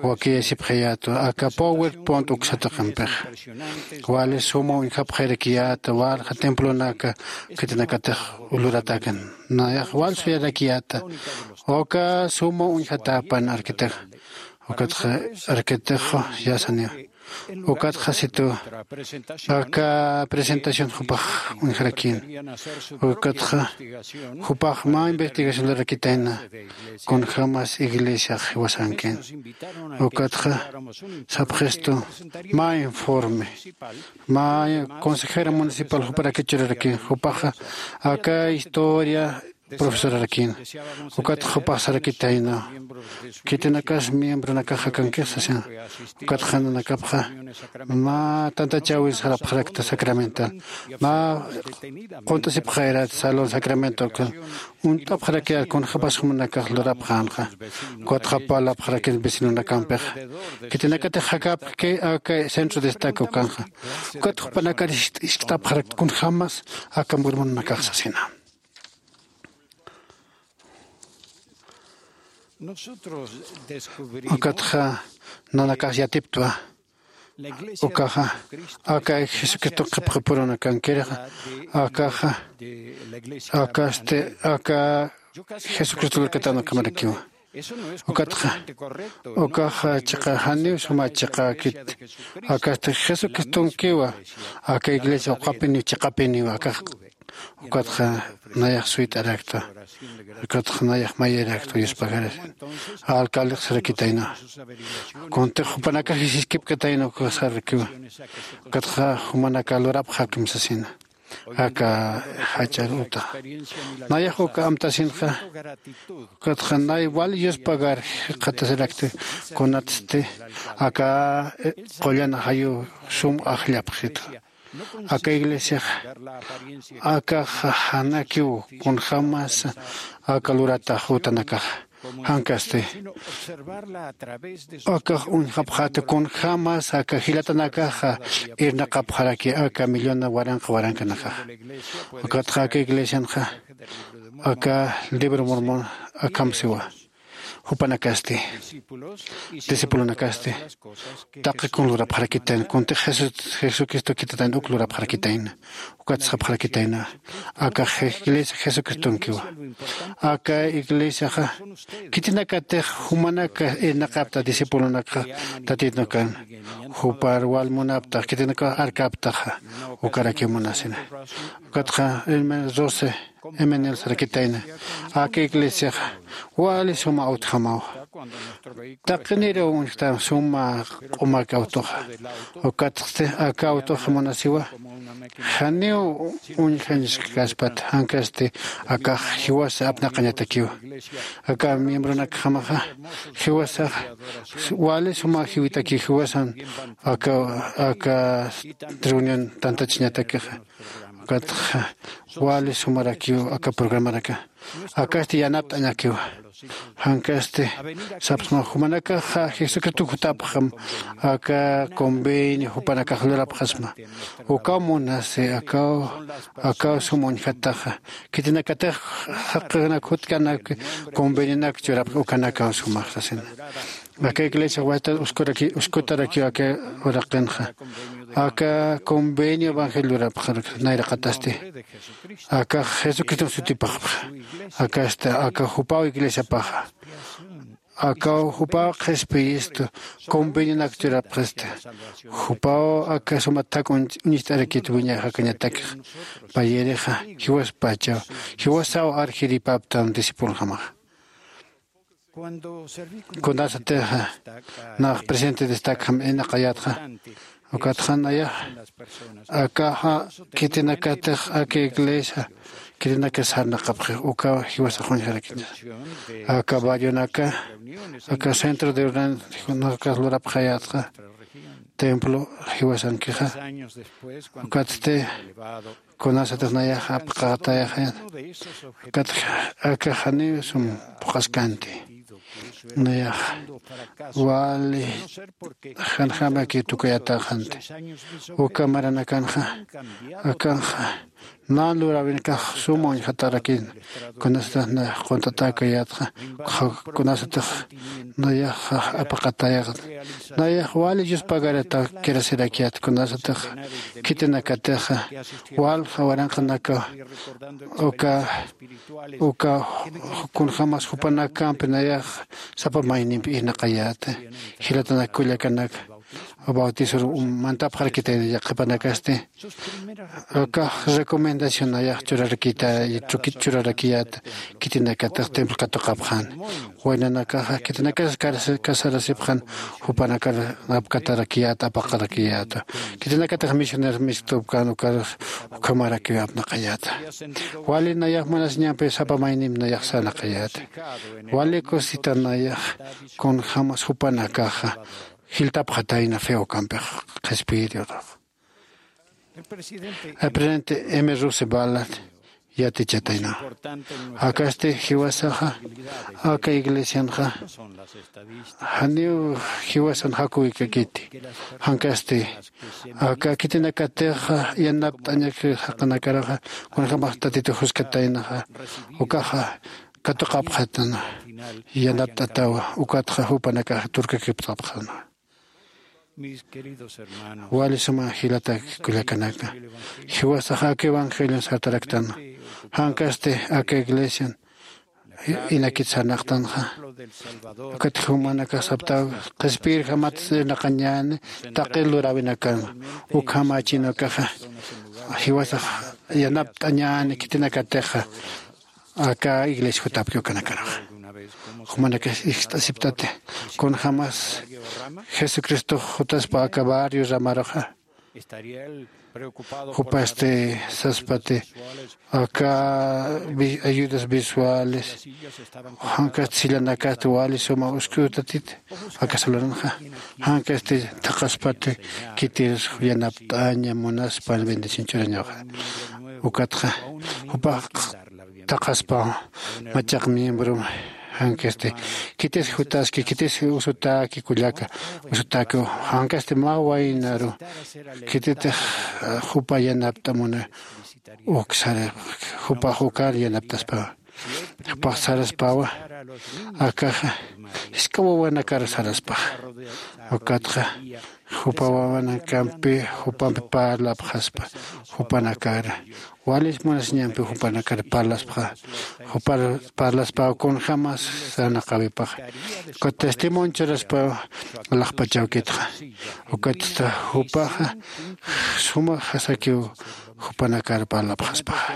Wakiyasipxayätwa aka PowerPoint uksataqampixa. Wali suma uñjapxayarakiyäta walja templonaka khitinakatix luratakan. Nayax wal suyarakiyäta. Uka suma uñjatäpan arkitixa. Ukatxa arkitixu yasaniwa. Ukatxa situ aka presentación jupax uñjarakïn. Ukatxa jupax mä investigación lurarakitayna kunjämas iglesiax jiwasankïn. Ukatxa sapxistu mä informe, mä consejero municipal juparakit churarakïn. Jupaxa aka historia profesorarakïn. Ukat jupax sarakitayna. Khitinakas miembronakax akankix sasin. Ukat nanakapxa mä tantachäwis sarapxarakta sacramental. Mä qunt'asipxayarat salón sacramental ukan. Uñt'apxarakiyät kunjämas jumanakax lurapxänxa. Ukatxa parlapxarakïn vecinonakampxa. Khitinakatix jakäpxi aka centro destaque ukanxa. Ukat jupanakar iskt'apxarakta kunjämas aka murmunanakax sasina. Ukatxa nanakas yatiptwa. Ukaxa aka Jesucristo qhipqipurunakankirixa. Akaxa akasti aka Jesucristo lurkatan ukhamarakiwa. Ukatxa ukaxa chiqa janiw suma chiqäkit. Akasti Jesucristonkiwa aka iglesia uqapiniw chiqapiniwa akax Ukatxa nayax suyt'arakta. Ukatxa nayax mayirarakta yuspagarasin. Alcaldix sarakitayna. Kuntix jupanakax jisiskipkatayna ukasarakiwa. Ukatxa jumanaka lurapxakim sasina. Aka jach'ar utaxa nayax uka amtasinxa. Ukatxa nay wal yuspagar jikxatasirakti. Kunatsti aka qullan ajayu sum ajllapxitxa. Aka iglesiaxa akaxa janakiw kunjämas aka luratax utanakaxa. Jankasti akax uñjapxäta kunjämas aka jilatanakaxa irnaqapxaraki aka millona waranqa warankanakaxa. Ukatxa aka iglesianxa aka libro mormon akham siwa. Jupanakasti discipulonakasti taqi kun lurapxarakitayna kuntix jesucristo khititayna uk lurapxarakitayna. Ukat sapxarakitayna aka iglesia jesucristonkiwa. Aka iglesiaxa khitinakatix jumanaka irnaqapta discipulonakxa tatitnukan jupar wal munaptax khitinakax arkaptaxa. Ukarakiw munasina. Ukatxa hermano rose emenel sarakitayna aka iglesiaxa wali suma awtjamawa. Taqiniraw uñjtam suma q'umak awtuxa. Ukatxti aka awtuxa munasiwa janiw uñjañskaspat jankasti akax jiwasa apnaqañatakiwa. Aka miembronakjamaxa jiwasax wali suma jiwitakiw jiwasan aka aka reunión tantachiñatakixa. Ukatxa wali sumarakiw aka programaraka akasti yanapt'añakiwa. Jankasti sapsma jumanakaxa jesucristo jutapxam aka convenio jupanakax lurapxasma. Ukaw munasi akaw akaw sum uñjataxa khitinakatix jaqanak jutkanak convenionak churapx ukanakaw sumax sasina. Aka iglesia wayta uskutarakiw aka uraqinxa aka convenio evangelio lurapxarak nayraqatasti. Akax jesucriston sutipaxpxa. Akasta aka jupaw iglesiapaxa akaw jupaw qhispiyistu convenionak churapxista. Jupaw aka suma thak uñist'arakit wiñaxakañatakxa payirixa jiwaspachaw jiwasaw arjiripaptan discipulojamaxa. Kunasatixa nax presidente destacjam inaqayatxa ukatxa nayax akaxa khitinakatix aka iglesia khitinakas sarnaqapxix ukaw jiwasax uñjarakiña. Aka barrionaka aka centro de ordenanzanakas lurapxayatxa templo jiwasankixa. Ukatsti kunasatix nayax apqatayaxayan. Ukatxa aka janiw sum phuqhaskanti nayax wali janjamaki tukuyataxanti. Uka maranakanxa akanxa nan luräwinakax suma uñjatarakin. Kunasatix nayax qunt'atäkayätxa kunasatix nayax apaqatayaxta. Nayax wali yuspagarata kirasirakiyät kunasatix khitinakatixa walja waranqanaka uka uka kunjämas jupanakampi nayax sapa maynimpi irnaqayäta. Jilatanak kullakanaka bautisor mantapxarakitayna yaqhipanakasti akax recomendacionayax churarakita churarakiyäta. Khitinakatix templo katuqapxan waynanakaxa khitinakas casarasipxan jupanakar apkatarakiyäta apaqarakiyäta. Khitinakatix misioneros misktupkan ukar ukhamarakiw apnaqayäta. Wali nayax munasiñampi sapa maynim nayax sarnaqayäta. Wali cosita nayax kunjämas jupanakaxa jiltapxatayna fe ukampix qhispiyiriwrax. El presidente m rusebalat yatichatayna akasti jiwasaxa aka iglesianxa janiw jiwasan jakuwikakiti. Jankasti aka khitinakatixa yanapt'añak jaqinakaraxa kunjämax tatitu juskataynaxa ukaxa katuqapxatana yanapt'atawa. Ukatxa jupanakaxa turkakipt'apxana. Wali suma jilatak kullakanaka jiwasax aka evangelion sartaraktana. Jankasti aka iglesian inakit sarnaqtanxa ukat jumanakax saptaw qhispiyirjamat irnaqañäni taqi luräwinakan. Ukhamächinakaxa jiwasax yanapt'añäni khitinakatixa aka iglesia jutapki ukanakaruxa. Jumanakax ixt'asiptati kunjämas jesucristox jutaspa aka barrio ramaruxa. Jupasti saspati aka ayudas visuales jankasti sillanakasti wali suma uskutatiti aka salonxa. Jankasti thaqaspati khitir yanapt'aña munaspa bendición churañaxa. Ukatxa jupax thaqaspa machaq miembro jankasti khitis jutaski khitis usutaki kullaka usutaki jankasti mä waynaru khititix jupa yanapt'amuna. Uksara jupax ukar yanapt'aspawa. Jupax saraspawa akaxa jisk'a wawanakar saraspaxa. Ukatxa jupa wawanakampi jupampi parlapxaspa jupanakar walis munasiñampi jupanakar parlaspxa. Jupar parlaspaw kunjämas sarnaqäwipaxa. Ukat testimonio churaspaw alaxpachawkitxa. Ukatsta jupaxa suma jasakiw jupanakar parlapxaspaxa.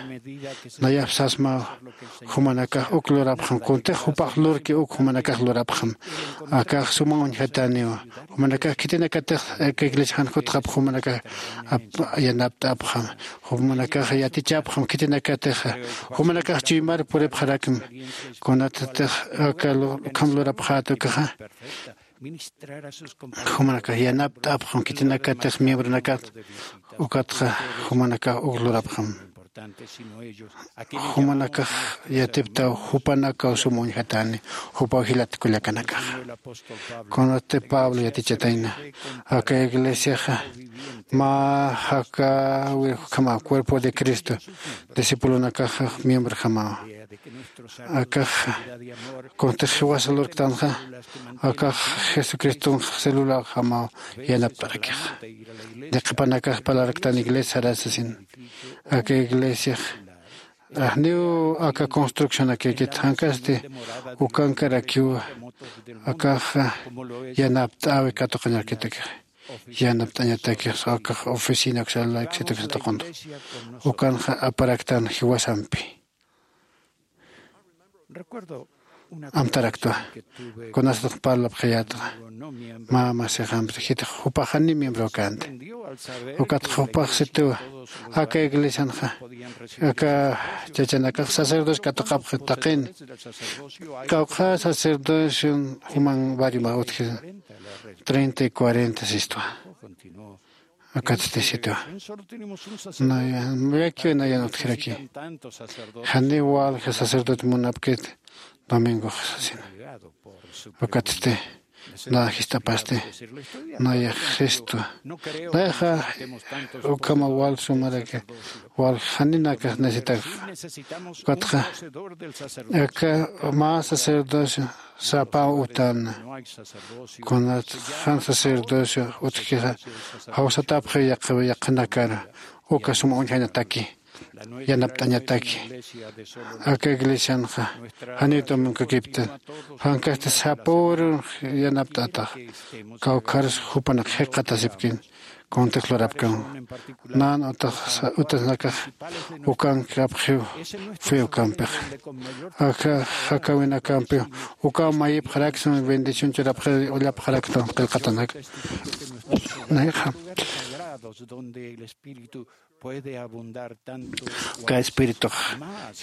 Nayap sasmaw jumanakax uk lurapxam kuntix jupax lurki uk jumanakax lurapxam. Akax suma uñjataniw jumanakax khitinakatix aka iglesia jan jutxap jumanakax yanapt'apxam. Jumanakax yatichapxam khitinakatixa jumanakax chuymar puripxarakmi. Kunatatix aka ukham lurapxäta ukaxa jumanakax yanapt'apxam khitinakatix miembronakat. Ukatxa jumanakax uk lurapxam. Jumanakax yatiptaw jupanakaw sum uñjatani jupaw jilat kullakanakaxa. Kunati pablo yatichatayna aka iglesiaxa mä jakawir ukhama cuerpo de cristo discipulonakaxa miembrojamawa. Akax kuntix jiwasa lurktanxa akax jesucristonx celularjamaw yanapt'arakixa. Ni qhipanakax parlarktan iglesia sarasasin aka iglesiax ajniw aka construccionakïkit jankasti ukankarakiw akax yanapt'äwi katuqañarakitakixa. Yanapt'añatakix akax oficina uksalaksituksatuquntu ukanxa aparaktan jiwasampi. Amtaraktwa kunasatix parlapxayätxa mä masixampis jitix jupax janiw miembro känti. Ukatxa jupax sitiwa aka iglesianxa aka chachanakax sacerdocio katuqapxi taqini. Kawkxa sacerdocion juman barrioma utji treinta y cuarenta sistwa. Akatsti sitiwa nayakiw nayan utjiraki. Janiw walja sacerdote munapkit domingox sasina. Ukatsti nä jist'apasti nayax jistwa. Nayaxa ukhama wal sumaraki wal janinakax necesitakxa. Ukatxa aka mä sacerdocio sapaw utana. Kunat jan sacerdocio utjkixa jawsatapxi yaqhanakar uka suma uñjañataki yanapt'añataki. Aka iglesianxa janiw domingo kiptan jankasti sapüru yanapt'atax. Kawkharus jupanak jikxatasipkin kuntix lurapkam. Nan utasnakax ukankapxiw fe ukampixa aka jakawinakampiw ukaw mayipxaraksma bendición churapxi ullapxaraktam qillqatanak. Nayxa aka espiritux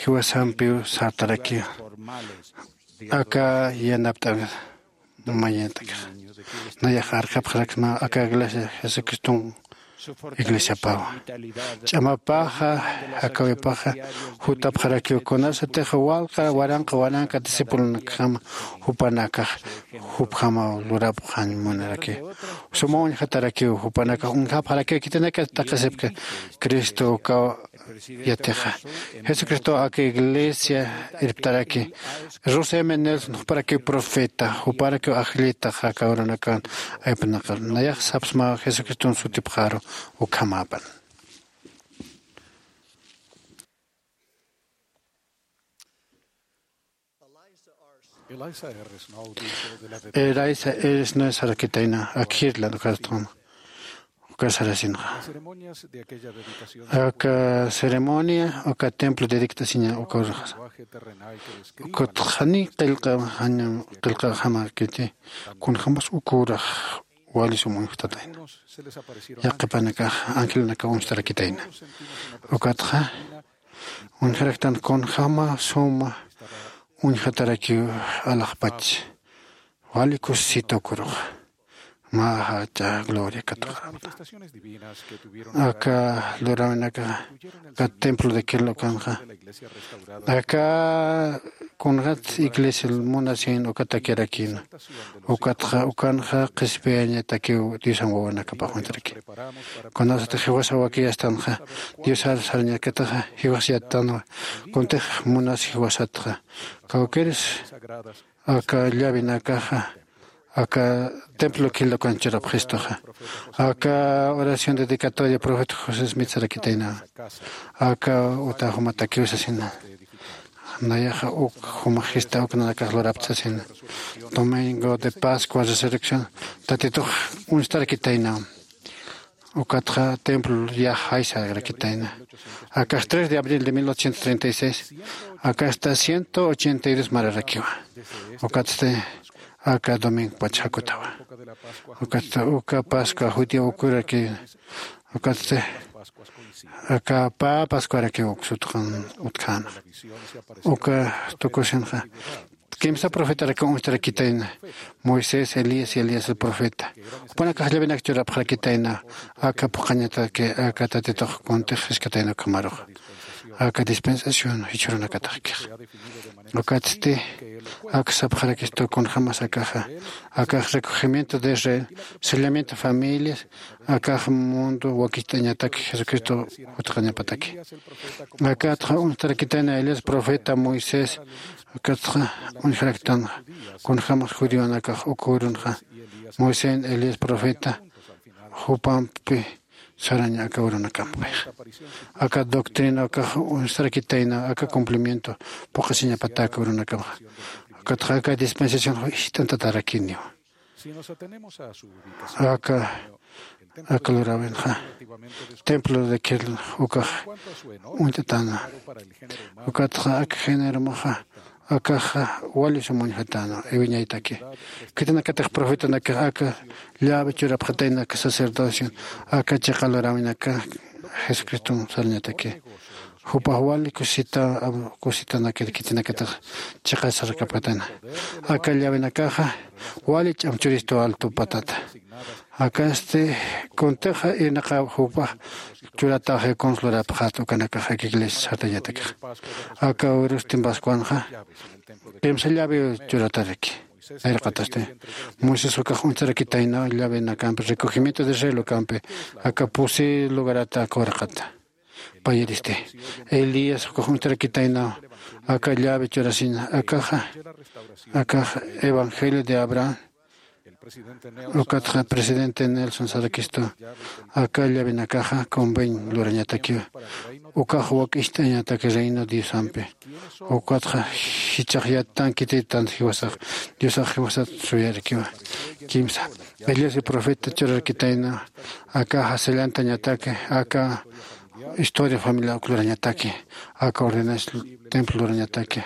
jiwasampiw sartarakiw aka yanapt'awi mañatakix. Nayax arkapxaraksma aka iglesia jesucriston iglesiapawa. Ch'amapaxa jakawipaxa jutapxarakiw kunasatix walqa waranqa waranqa discipulonakjama jupanakax jupjamaw lurapxañ munaraki. Suma uñjatarakiw jupanakax uñjapxarakiw khitinaka taqisipki cristo ukaw yatixa. Jesucristo aka iglesia irptaraki. Rose m nelson juparakiw profeta juparakiw ajllitax aka urunakan aypnaqar nayax sapsma jesucriston sutipxaru. Ukhamäpan Elisa eres no sarakitayna akjirlan ukatxama. Uka sarasinxa, aka ceremonia uka templo dedictasiña uka urxasa, ukatxani qillqa jañam qillqaxamakiti. Kunjämas uka urax wali sum uñjtatayna. Yaqhipanakax angelunakaw uñstarakitayna. Ukatxa uñjaraktan kunjäma suma uñjatarakiw alaxpach. Wali kusisita uka uruxa. Mä jach'a gloria katuqarapta. Aka luräwinakaxa aka templo de kirlukanxa, aka kunxat iglesia munasin ukatakirakïna. Ukatxa ukanxa qhispiyañatakiw diosan wawanakapax uñtarakiw. Kunasatix jiwasa wakiyastanxa diosar sarañakataxa jiwas yattanwa. Kuntix munas jiwasatxa kawkiris aka llavinakaxa aka templo killakan churapxistuxa. Aka oración dedicatoria profeta josé smith sarakitaynawa. Aka uta jumatakiw sasina. Nayaxa uk jumaxista uk nanakax lurapta sasina. Domingo de pascua resurrección tatitux uñstarakitaynawa. Ukatxa templo yax jaysarakitayna. Akax tres de abril de mil ochocientos treinta y seis, akasta ciento ochenta y dos mararakiwa. Ukatsti aka domingo pach jakutawa. Ukatsti uka pascua judío ukuraki. Ukatsti aka pä pascuarakiw uksutqan utkhäna. Uka tukusinxa kimsa profetarakaw uñstarakitayna. Moisés, elías y elías el profeta. Jupanakax llavinak churapxarakitayna. Aka phuqhañataki aka tatitux kuntix jiskatayna ukhamarux aka dispensación jichhürunakataxkix. Ukatsti aka sapxarakistu kunjämas akaxa akax recogimiento de israel, sellamiento familias, akax mundo wakicht'añataki jesucristo jutqañapataki. Akatxa uñstarakitayna elías profeta moisés. Akatxa uñjaraktanxa kunjämas judionakax uka urunxa moisés elías profeta jupampi saraña aka urunakampix. Aka doctrina akax uñstarakitayna aka cumplimiento phuqhasiñapata aka urunakamxa. Akatxa aka dispensación jist'antatarakiniwa. Aka aka luräwinxa templo de kirl ukax uñt'atäna. Ukatxa aka generomaxa akaxa wali sum uñjatäna iwiñaytaki. Khitinakatix profetanakax aka llavi churapxatayna aka sacerdocio aka chiqa luräwinaka jesucristom sarañataki. Jupax wali kusita kusitanakir khitinakatix chiqasarakapxatayna. Aka llawinakaxa wali ch'am churistu altupatata. Akasti kuntixa irnaqaw jupax churataxi kuns lurapxat ukanakax aka iglesia sartañatakixa. Aka urustin pascuanxa kimsa llaviw churataraki. Nayraqatasti moisés ukax uñstarakitaynaw llave nakampi recogimiento de israel ukampi aka pusi lugarata aka uraqata. Payiristi elías ukax uñstarakitaynaw aka llave churasina akaxa akax evangelio de abraham. Ukatxa presidente nelson sarakistu aka llavinakaxa conveñ lurañatakiwa. Ukax wak'icht'añataki reino diosampi. Ukatxa jichhax yattankititan jiwasax diosax jiwasat suyarakiwa. Kimsa elías y profeta churarakitayna aka jasallantañataki aka historia familiar uklurañataki aka ordenas templo lurañataki.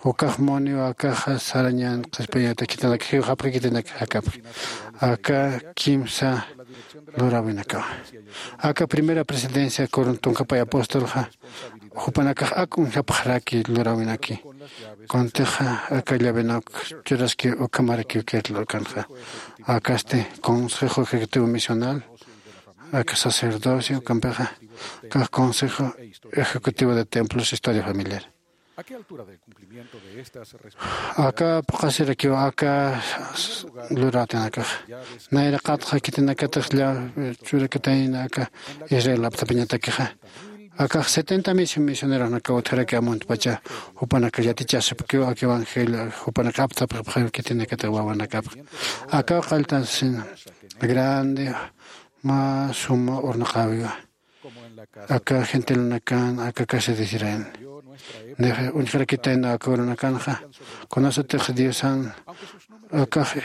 Ukax muniw akaxa sarañan qhispiyañatakitanak jiwxapxikitinak jakapxi aka kimsa luräwinakawa. Aka primera presidencia coruntunkapay apostolxa jupanakax ak uñjapxaraki luräwinaki. Kuntixa aka llavenak churaski ukhamarakiw kirlurkanxa akasti consejo ejecutivo misional aka sacerdocio ukampixa kax consejo ejecutivo de templos historia familiar. Aka phuqhasirakiw aka lurätanakax nayraqatxa khitinakatix llavi churakatayna aka israel aptapañatakixa akax setenta mil misioneronakaw utjaraki amuntpacha jupanakax yatichasipkiw aka evangelio jupanakax aptapxipxaw khitinakatix wawanakapx. Akaw qalltansina grande mä suma urnaqäwiwa. Aka gentilanakan aka casa de israel nix uñjarakitayna aka urunakanxa kunasatix diosan akax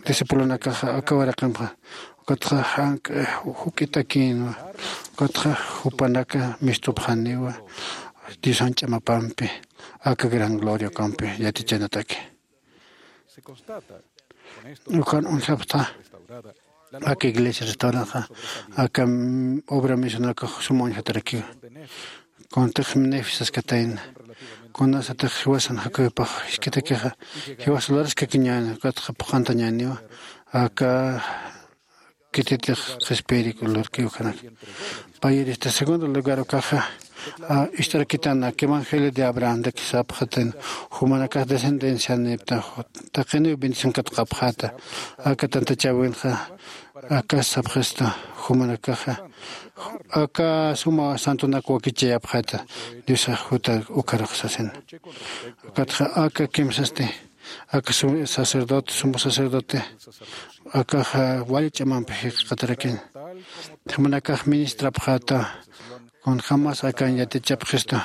discipulonakaxa aka waraqimxa Ukatxa jank'a juk'itakïnwa. Ukatxa jupanaka mistupxaniwa diosan ch'amapampi aka gran gloria ukampi yatichanataki. Ukan uñjapxta aka iglesia restauranxa aka obra misionaka suma uñjatarakiwa. Kuntix nefisaskatayna kunasatix jiwasan jakuypax jiskitakixa jiwas luraskakiñäni ukatxa phuqhantañäniwa. Aka kititix qhispiyiriku lurkiw ukhanaka. Payirista segundo lugar ukaxa ist'arakitana aka evangelio de abrahamdaki sapxatin jumanakax descendencianipta taqiniw bendición katqapxäta. Aka tantachäwinxa akas sapxistu jumanakaxa aka suma santonak wakichayapxäta diosax juta ukharux sasina. Ukatxa aka kimsasti aka sacerdote sumo sacerdote akaxa wali ch'amampi jikxatarakin jumanakax ministrapxäta. Kunjämas akan yatichapxistu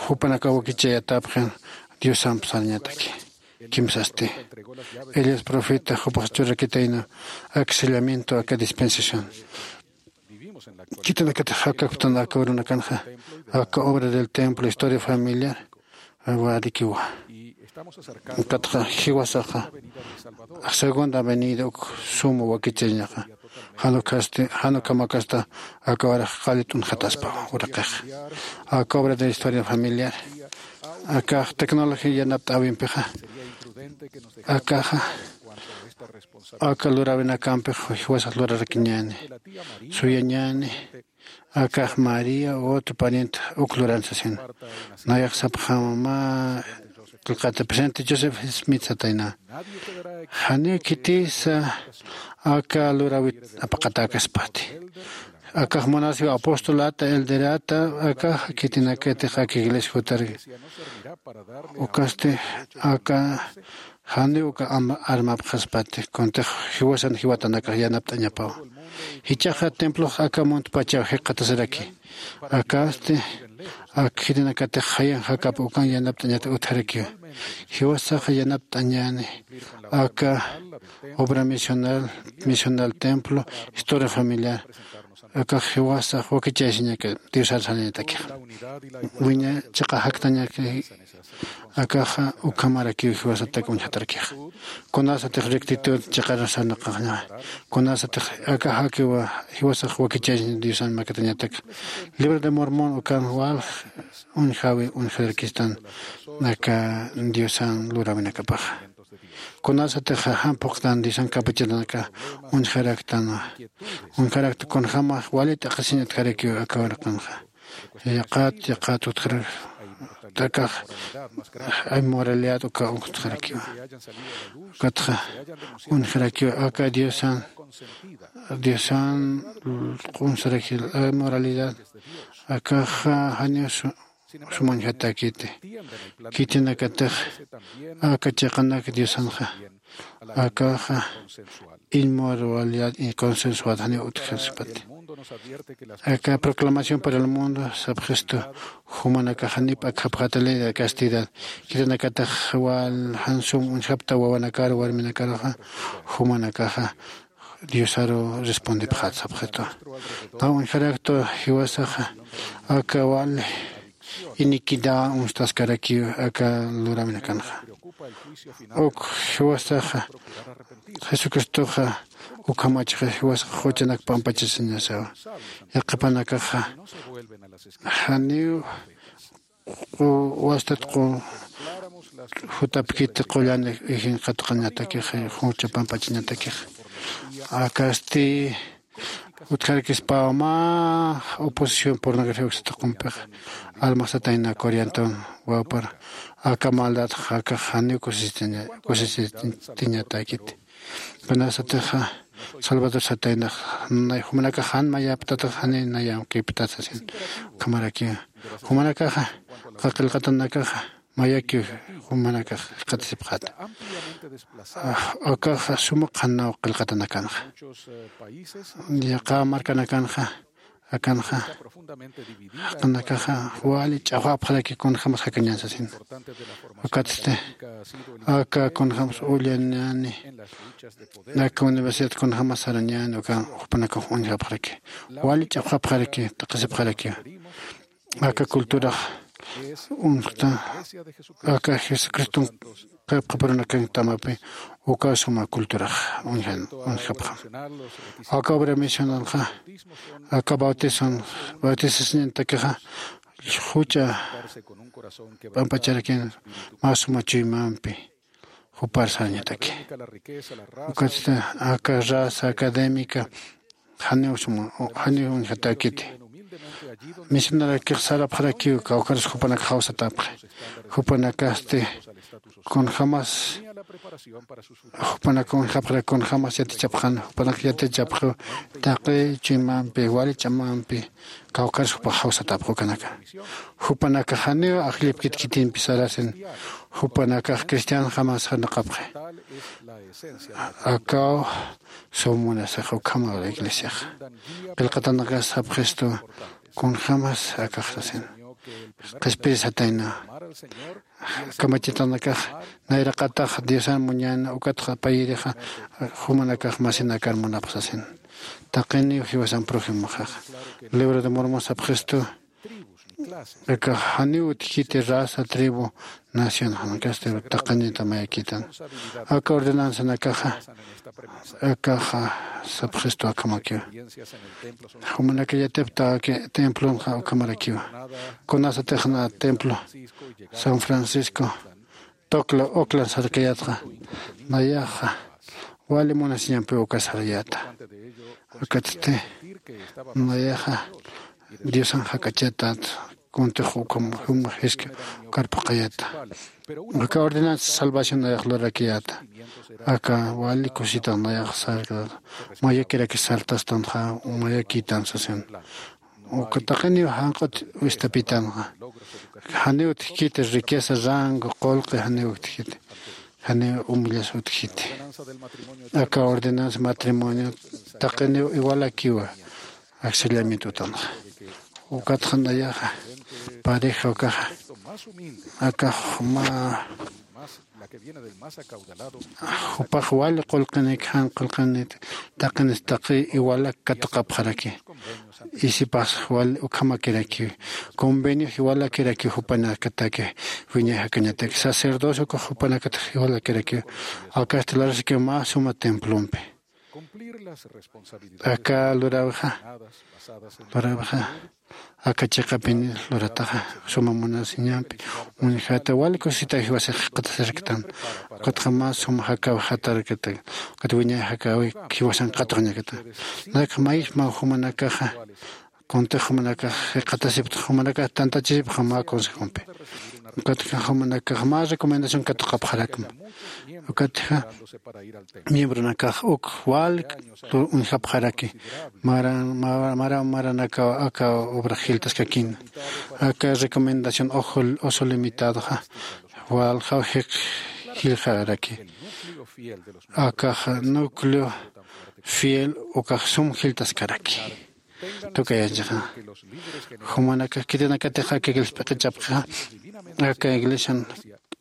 jupanakax wakichayatapxin diosamp sarañataki. Kimsasti elías profeta jupax churarakitayna aka sellamiento aka dispensación. Khitinakatix jakakptan aka urunakanxa aka obra del templo historia familiar warikiwa. Ukatxa jiwasaxa segunda avenida uk suma wakichañaxa jan ukasti jan ukhamakasta aka warax qallit uñjataspa uraqixa aka obra de la historia familiar akax tecnología yanapt'äwimpixa akaxa aka luräwinakampix jiwasax lurarakiñäni suyañäni. Akax maría u otro pariente uk luran sasina. Nayax sapxäma mä qillqata presidente joseph smith satayna janiw khitisa aka luräwit apaqatäkaspati. Akax munasiw apostolata elderata akax khitinakatix aka iglesia jutarki. Ukasti aka janiw uka armapxaspati kuntix jiwasan jiwatanakax yanapt'añapawa. Jichhaxa templox aka muntpachaw jikxatasaraki. Akasti ak khitinakatix jayan jakap ukan yanapt'añata utjarakiwa. Jiwasaxa yanapt'añäni aka obra misional misional templo historia familiar akax jiwasax wakichayasiñaka diosar sarañatakixa. Wiña chiqa jaktañaki akaxa ukhamarakiw jiwasatak uñjatarakixa. Kunasatix rectitud chiqarasarnaqaxña kunasatix akaxakiwa jiwasax wakichayasiña diosan makatañatak libro de mormón ukan walj uñjawi uñjarakistan aka diosan luräwinakapaxa. Kunasatix jan phuqtan diosan kapachatanaka uñjaraktan uñjarakta kunjämax wali t'aqhisiñ utjarakiw aka uraqanxa. Yaqat yaqat utjarak akax inmoralidad uka uñjtxarakiwa. Ukatxa uñjarakiwa aka diosan diosan q'unsaraki inmoralidad akaxa janiw suma uñjatäkiti. Khitinakatix aka chiqanak diosanxa akaxa inmoralidad y consensuad janiw utjaspati. Aka proclamación para el mundo sapxistu jumanakax janiw p'akxapxäta ley de castidad. Khitinakatix wal jan sum uñjapta wawanakar warminakaruxa jumanakaxa diosaru respondipxät sapxitu. Naw uñjaraktu jiwasaxa aka wali iniquidad uñstaskarakiw aka luräwinakanxa. Uk jiwasaxa jesucristoxa ukhamachxa jiwasaxa quchanak pampachasiñasawa. Yaqhipanakaxa janiw wastat jutapkiti qullan ijinqatqañatakixa jucha pampachañatakixa. Akasti utjarakispawa mä oposición pornografía uksataqumpixa almaxsatayna corianton wawpar aka maldadxa akax janiw kusisitiñatäkiti. Kunasatixa salvador sataynax nay jumanakax jan mayaptatax janiy nayankiptat sasin. Ukhamarakiw jumanakaxa qillqatanakaxa mayakiw jumanakax jikxatasipxäta. Akaxa suma qhanaw qillqatanakanxa yaqha markanakanxa Akanxa jaqinakaxa wali ch'axwapxaraki kunjämas jakañän sasin. Ukatsti aka kunjämas ullañäni aka universidad kunjämas sarañäni uka jupanakax uñjapxaraki wali ch'axwapxaraki taqisipxarakiwa. Aka culturax uñjta aka jesucriston qhipqipurunakanktamapï uka suma culturax uñjapxam. Aka obra misionalxa aka bautizon bautizasiñantakixa juch'a p'ampacharakin mä suma chuymampi jupar sarañataki. Ukatsti aka raza académica janiw suma janiw uñjatäkiti. Misionarakix sarapxarakiw kawkharus jupanak jawsatapxi. Jupanakasti kunjämas jupanak uñjapxarak kunjämas yatichapxan jupanak yatichapxiw taqi chuymampi wali ch'amampi kawkharus jupax jawsatapxi ukanaka. Jupanakax janiw ajllipkit khitimpi sarasin jupanakax cristianjämas sarnaqapxi. Akaw sum munasixa ukhama la iglesiaxa qillqatanakas sapxistu kunjämas akax sasin qhispirisatayna. Kamachitanakax nayraqatax diosan muñäna ukatxa payirixa jumanakax masinakar munapxi sasin. Taqiniw jiwasan prójimoxax libro de mormon sapxistu. Aka janiw utjkiti raza tribu nación janakasti taqinita mayakitan. Aka ordenanzanakaxa akaxa sapxistu akhamakiwa. Jumanaka yatiptaki templonxa ukhamarakiwa. Kunasatixna templo san francisco tocla oclan sarkayatxa nayaxa wali munasiñampiw uka sarayäta. Ukatsti nayaxa diosan jak'achatat kuntix ukham juma jiski ukar phuqhayata. Aka ordenanza salvación nayax lurakiyäta aka wali kusitax nayax sarkayata. Mayakiraki sartastanxa mayakïtan sasin. Uka taqiniw janq'ut wistapitanxa janiw utjkiti riqueza rango qulqi janiw utjkiti. Janiw umillas utjkiti. Aka ordenanza matrimonio taqiniw iwalakiwa axsillamiento utanxa. Ukatxa nayaxa pareja ukaxa akax mä jupax wali qulqinik jan qulqinik taqinis taqi iwalak katuqapxaraki. Isipax wali ukhamakirakiw conveniox iwalakirakiw jupanakataki wiñay jakañataki sacerdocio ukax jupanakatix iwalakirakiw. Akasti lurasikiw mä suma templompi aka luräwixa luräwixa aka chiqapini lurataxa suma munasiñampi uñjata wali kusita jiwasix qatasiraktan. Ukatxa mä suma jakaw jatarakatan ukat wiñay jakawi jiwasan qatuqñakatan. Nakxa mayisma jumanakaxa kuntix jumanakax qhatasipta jumanakax tantachisipxa mä consejompi. Ukatxa jumanakax mä recomendación katuqapxarakma. Ukatxa miembronakax uk wali uñjapxaraki mara mara maranakaw aka obrax jiltaskakina. Aka recomendación oso limitadoxa waljaw jik jilxaraki. Akaxa núcleo fiel ukax sum jiltaskaraki. Tukayanchixa jumanakax khitinakatix aka iglesia p'iqichapxixa aka iglesian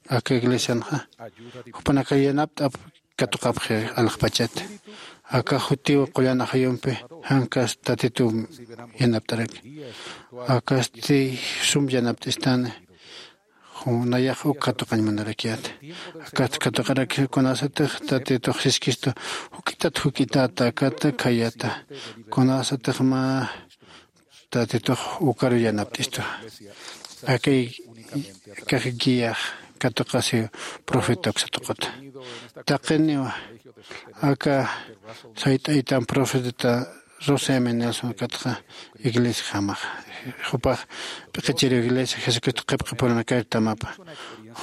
aka iglesianxa jupanakax yanapt'ap katuqapxi alaxpachat. Aka jutiw qullan ajayumpi jankas tatituw yanapt'araki. Akasti sum yanapt'istani nayax uk katuqañ munarakiyäta. Akasti katuqaraki kunasatix tatitux siskistu juk'itat juk'itäta akata khayäta. Kunasatix mä tatitux ukaru yanapt'istu. Akay kax guiax katuqasiw profeta uksa tuquta. Taqiniwa aka sayt'aytan profeta Russell M Nelson ukatxa iglesiajamaxa jupax p'iqichiriw iglesia jesucristo qhipqipurunakar tamapa.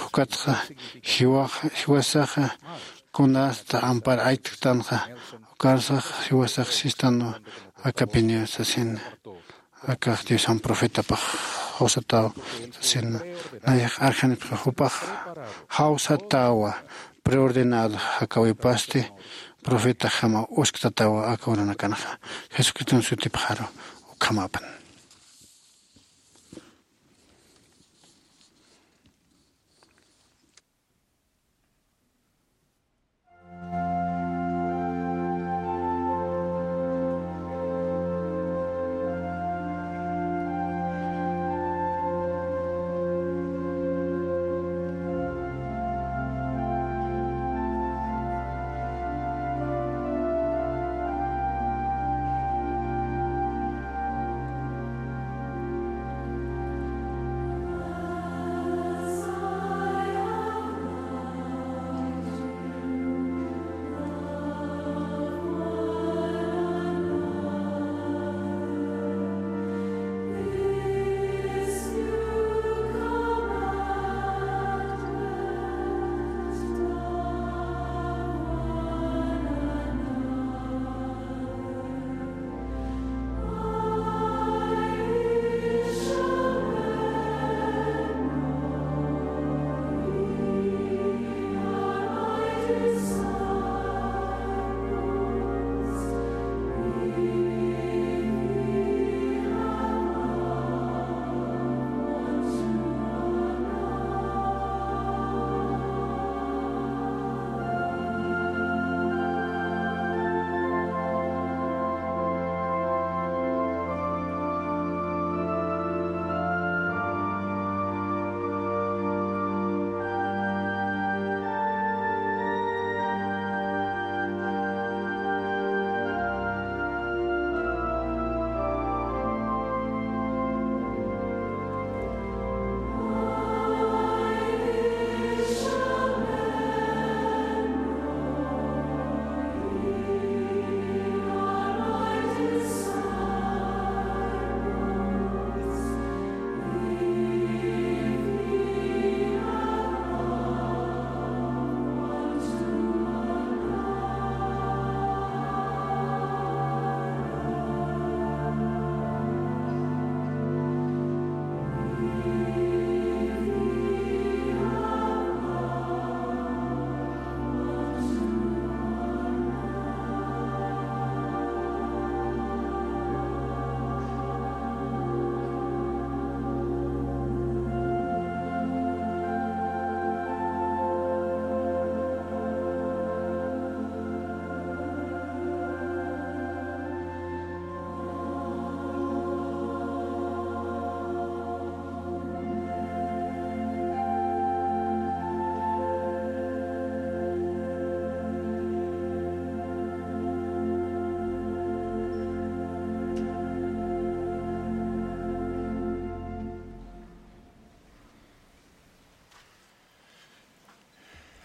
Ukatxa jiwasaxa kunasta ampar aytktanxa ukarsax jiwasax sistanwa akapiniw sasina. Akax diosan profetapax jawsatäw sasina. Nayax arjanipxi jupax jawsatäwa preordenado jakawipasti profetajama usktatawa aka uranakanxa jesucriston sutipxaru. ukhamapan.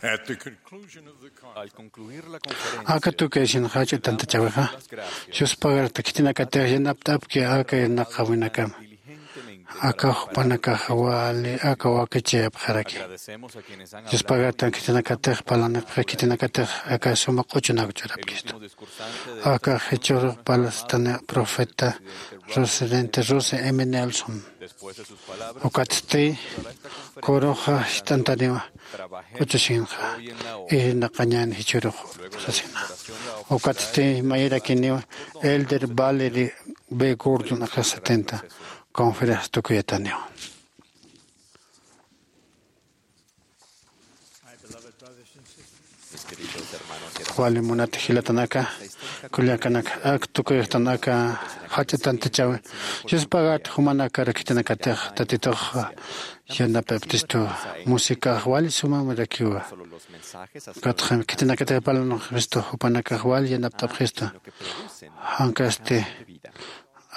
At the conclusion of the conference, aka tukayasin jach'a tantachawixa, yuspagarta khitinakatix yanapt'apki aka irnaqawinakama. Aka jupanakax wali aka wakichayapxaraki. Yuspagartan khitinakatix parlanipxi, khitinakatix aka suma q'uchunak churapkistu. Aka jichhürux parlstani profeta Presidente Russell M. Nelson. Ukatsti kuruxa jist'antaniwa q'uchusinxa irnaqañän jichhürux sasina. Ukatsti mayirakiniwa Elder Valerie B. Gordon aka setenta conferencia tukuyataniwa. Wali munat jilatanaka, kullakanaka, ak tukuyuxtan aka jach'a tantachawi. Yuspagat jumanakar khitinakatix Tatitux yanapt'apxistu, musicax wali sumamirakiwa. Ukatxa khitinakatix parlanipxistu, jupanakax wali yanapt'apxistu. Jankasti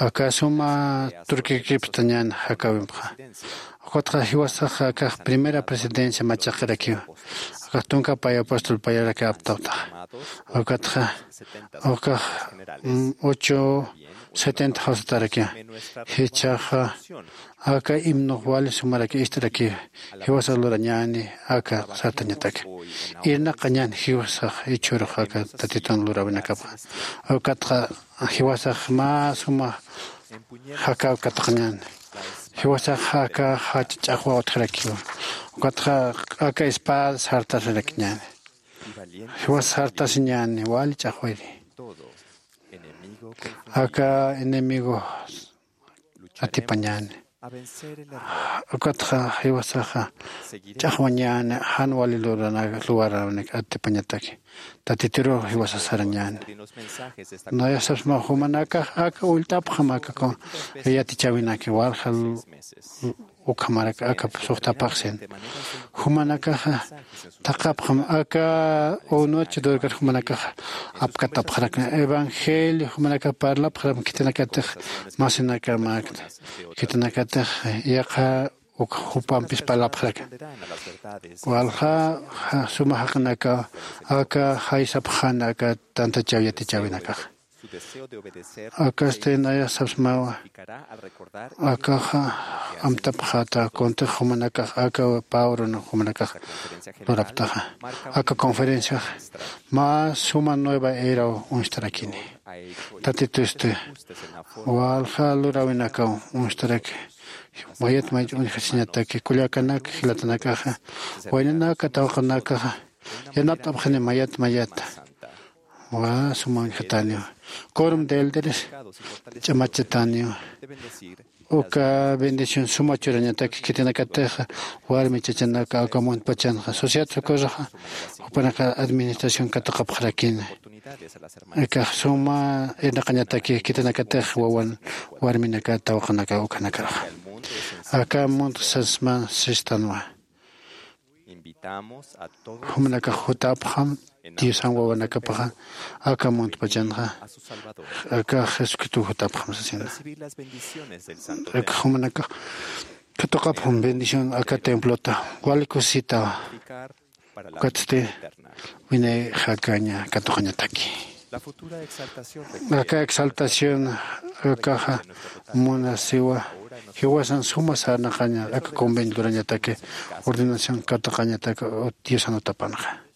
aka suma turkikipxtañän jakäwimpxa. Ukatxa jiwasax akax primera presidencia machaqirakiwa. Akax tunka pay apóstol payarak aptawtaxa. Ukatxa ukax, mm, ocho setenta jawsatarakiwa. Jichhaxa aka himnux wali sumarak ist'arakiwa. Jiwasax lurañäni aka sartañataki. Irnaqañän jiwasax jichhürux aka Tatitun luräwinakapxa. Ukatxa jiwasax mä suma jakäw katuqañäni. Jiwasax aka jach'a ch'axwaw utjarakiwa. Ukatxa aka espada sartasirakiñäni. Jiwas sartasiñäni wali ch'axwiri. Aka enemigo atipañäni. Ukatxa jiwasaxa ch'axwañäni jan wali luwaranak atipañataki. Tatituru jiwasa sarañäni. Nayax sapsma jumanakax aka ullt'apxam aka yatichäwinaki walja ukhamarak aka suxtapaxsin. Jumanakaxa thaqhapxam aka unuch durkar jumanakax apkatapxarakna evangelio jumanakax parlapxaram khitinakatix masinakamakta khitinakatix yaqha uk jupampis parlapxaraka. Walja suma jaqinaka aka jaysapxan aka tantachäw yatichäwinakaxa. Akasti nayax sapsmawa akaxa amtapxata kuntix jumanakax aka pabron jumanakax luraptaxa aka conferenciax mä suma nueva eraw uñstarakini. Tatitusti walja luräwinakaw uñstarak mayat mayat uñjasiñataki kullakanak jilatanakaxa waynanaka tawaqanakaxa yanapt'apxani mayat mayat wa suma uñjataniw. Corum de elderes ch'amachataniw. Uka bendición suma churañataki khitinakatixa warmi chachanaka aka muntpachanxa sociedad socorroxa jupanaka administración katuqapxarakini. Akax suma irnaqañataki khitinakatix wawan warminaka tawaqanaka ukhanakaruxa aka muntxa sasma sistanwa. Jumanakax jutapxam diosan wawanakapaxa aka muntpachanxa aka jesucristo jutapxam sasina. Aka jumanakax katuqapxam bendición aka templota wali kusisita. Ukatsti winay jakaña katuqañataki aka exaltación akaxa munasiwa jiwasan suma sarnaqaña aka convenio lurañataki ordenación katuqañataki diosan utapanxa.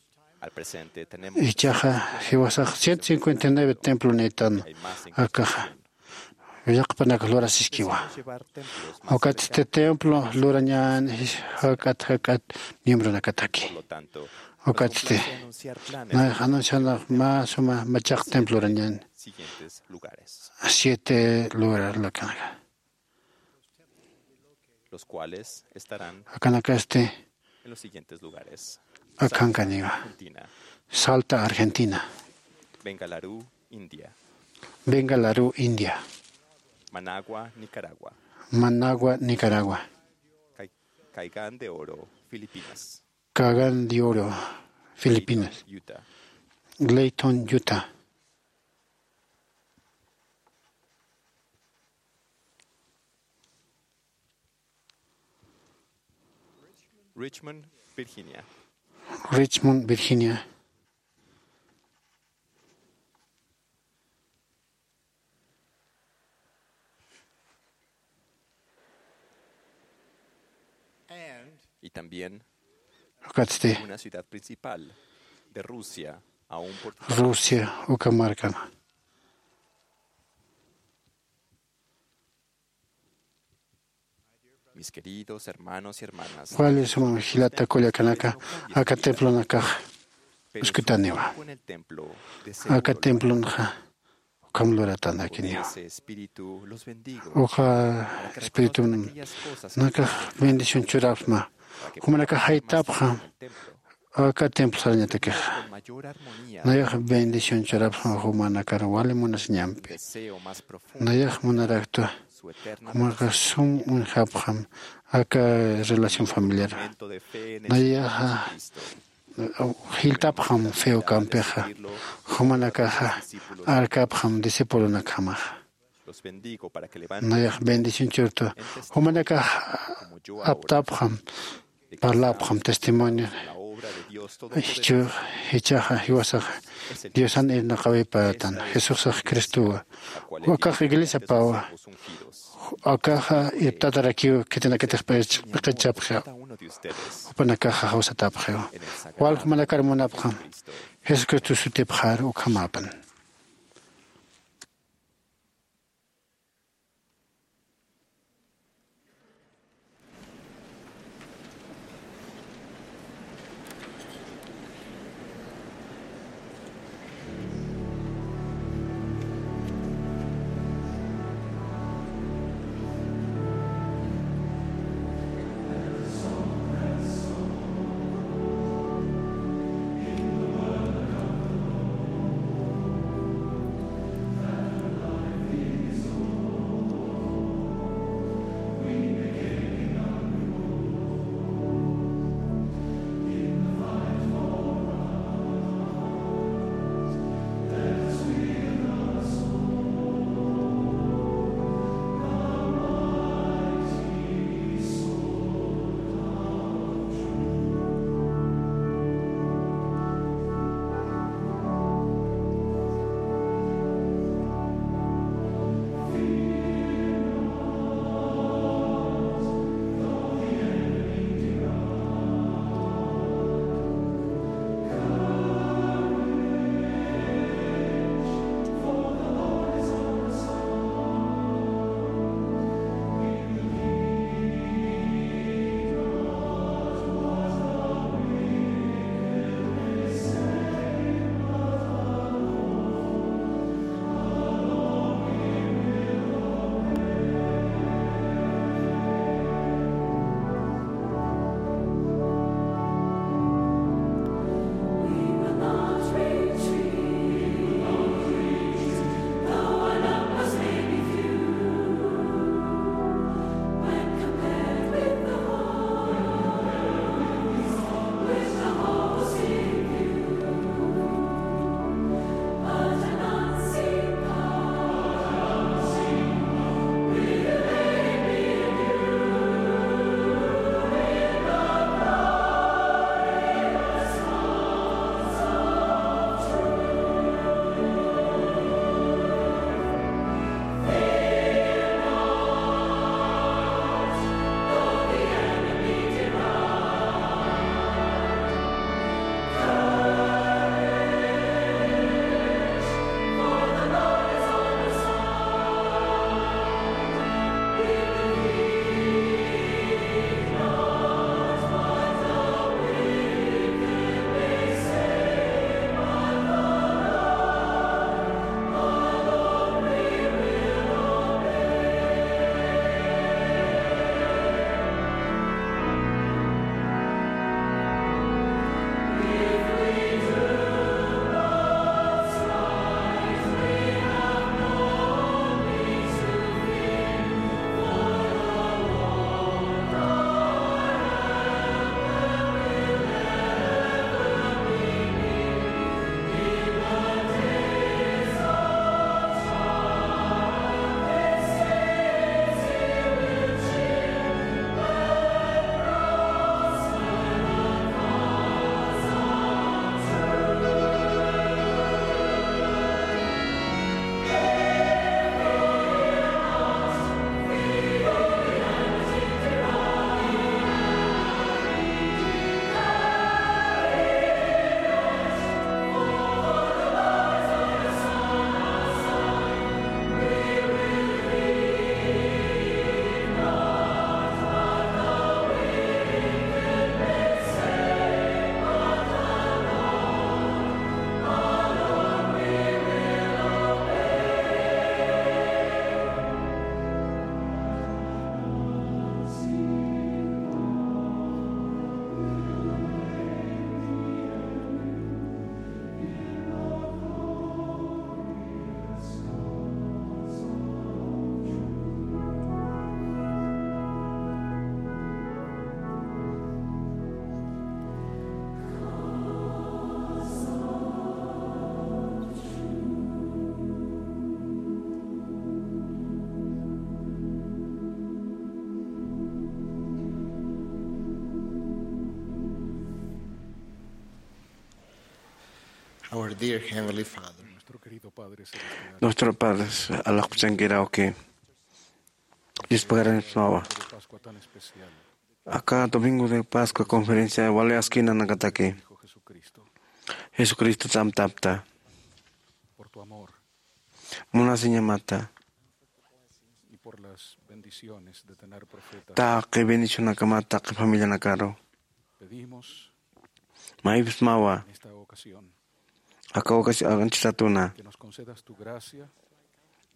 Ichaxa jiwasax ciento cincuenta y nueve templo niytan akaxa llaqpanaka lurasiskiwa. Ukatsti templo lurañän jak'at jak'at miembronakataki. Ukatsti nayax anuncianax mä suma machaq templo lurañän siete lugar lakanaka. Akanakasti akhankaniwa. Salta, Argentina. Bengaluru, India. Managua, Nicaragua. Managua, Nicaragua. Caigán de Oro, Filipinas. Caigán de Oro, Filipinas. Utah. Layton, Utah. Richmond, Virginia. Richmond, Virginia. Y también ukatsti una ciudad principal de Rusia, a un portal. Rusia uka markama. Mis queridos hermanos y hermanas, wali suma jilata kullakanaka aka templonakax uskutaniwa. Aka templonxa ukham luratanakiniwa. Uka espiritunakax bendición churapxma. Jumanakax jaytapxam aka templo sarañatakixa. Nayax bendición churapxam jumanakar wali munasiñampi. Nayax munaraktwa jumanakax sum uñjapxam aka relación familiar. Nayaxa jiltapxam feo kampixa jumanakaxa arkapxam discipulonakjamaxa. Nayax bendición churtu jumanakax aptapxam parlapxam testimonio. Jichhaxa jiwasaxa diosan irnaqawipatan jesusax cristowa. Akax iglesiapawa. Akaxa irptatarakiw khitinakatix p'iqichapxiw. Jupanakaxa jawsatapxiw. Wal jumanakar munapxam jesucristo sutipxar ukhamapan. Our dear Heavenly Father. Nuestro Padre, alaxkuchankiraw que Dios pagaran smawa. Aka domingo de Pascua conferencia wali askinanakataki Jesucristo tsamtapta. Munasiñamata. Taqi bendicionakamata taqi familianakaru. Maypsmawa. Aka ocasión anchhitatuna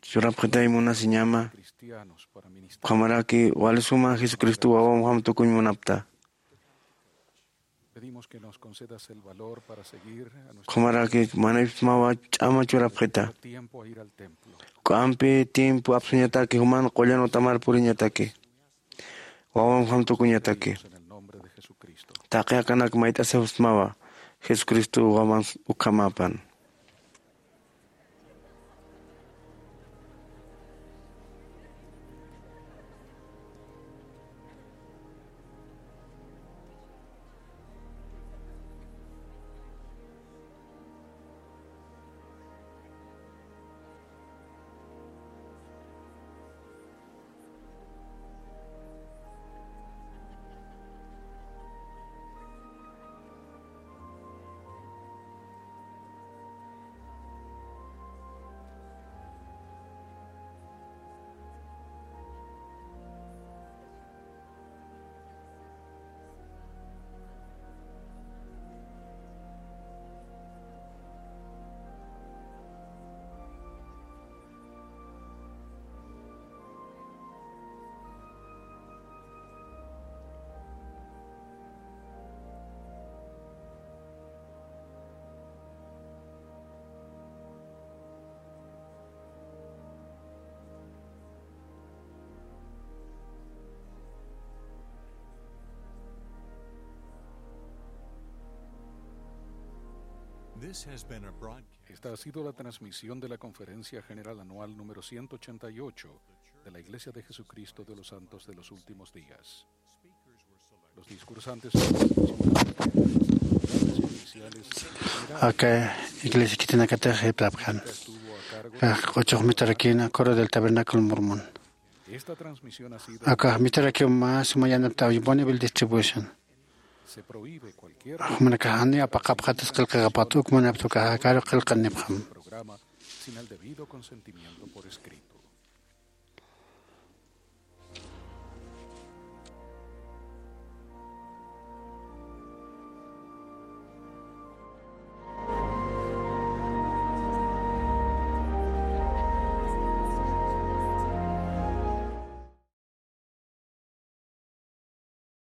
churapxitay munasiñama. Ukhamaraki wali suma Jesucristo wawamjam tukuñ munapta. Ukhamaraki manaypsmawa ch'ama churapxita. K'ampi tiempo apsuñataki juman qullan utamar puriñataki. Wawamjam tukuñataki. Taqi akanak mayt'asipsmawa Jesucristo waman ukhamapan. This has been a broadcast. Esta ha sido la transmisión de la Conferencia General Anual número ciento ochenta y ocho de la Iglesia de Jesucristo de los Santos de los Últimos Días. Los discursantes oficiales. Aka iglesia khitinakatix jiptapxan. Aka q'uchux mitarakïna Coro del Tabernáculo Mormón. Esta transmisión ha sido. Aka mitarakiw mä suma yanapt'aw Bonneville Distribution. Se prohíbe cualquier. Jumanakax janiw apaqapxatas qillqaxapxat, uk munapxta ukaxa akaru qillqanipxam. Programa sin el debido consentimiento por escrito.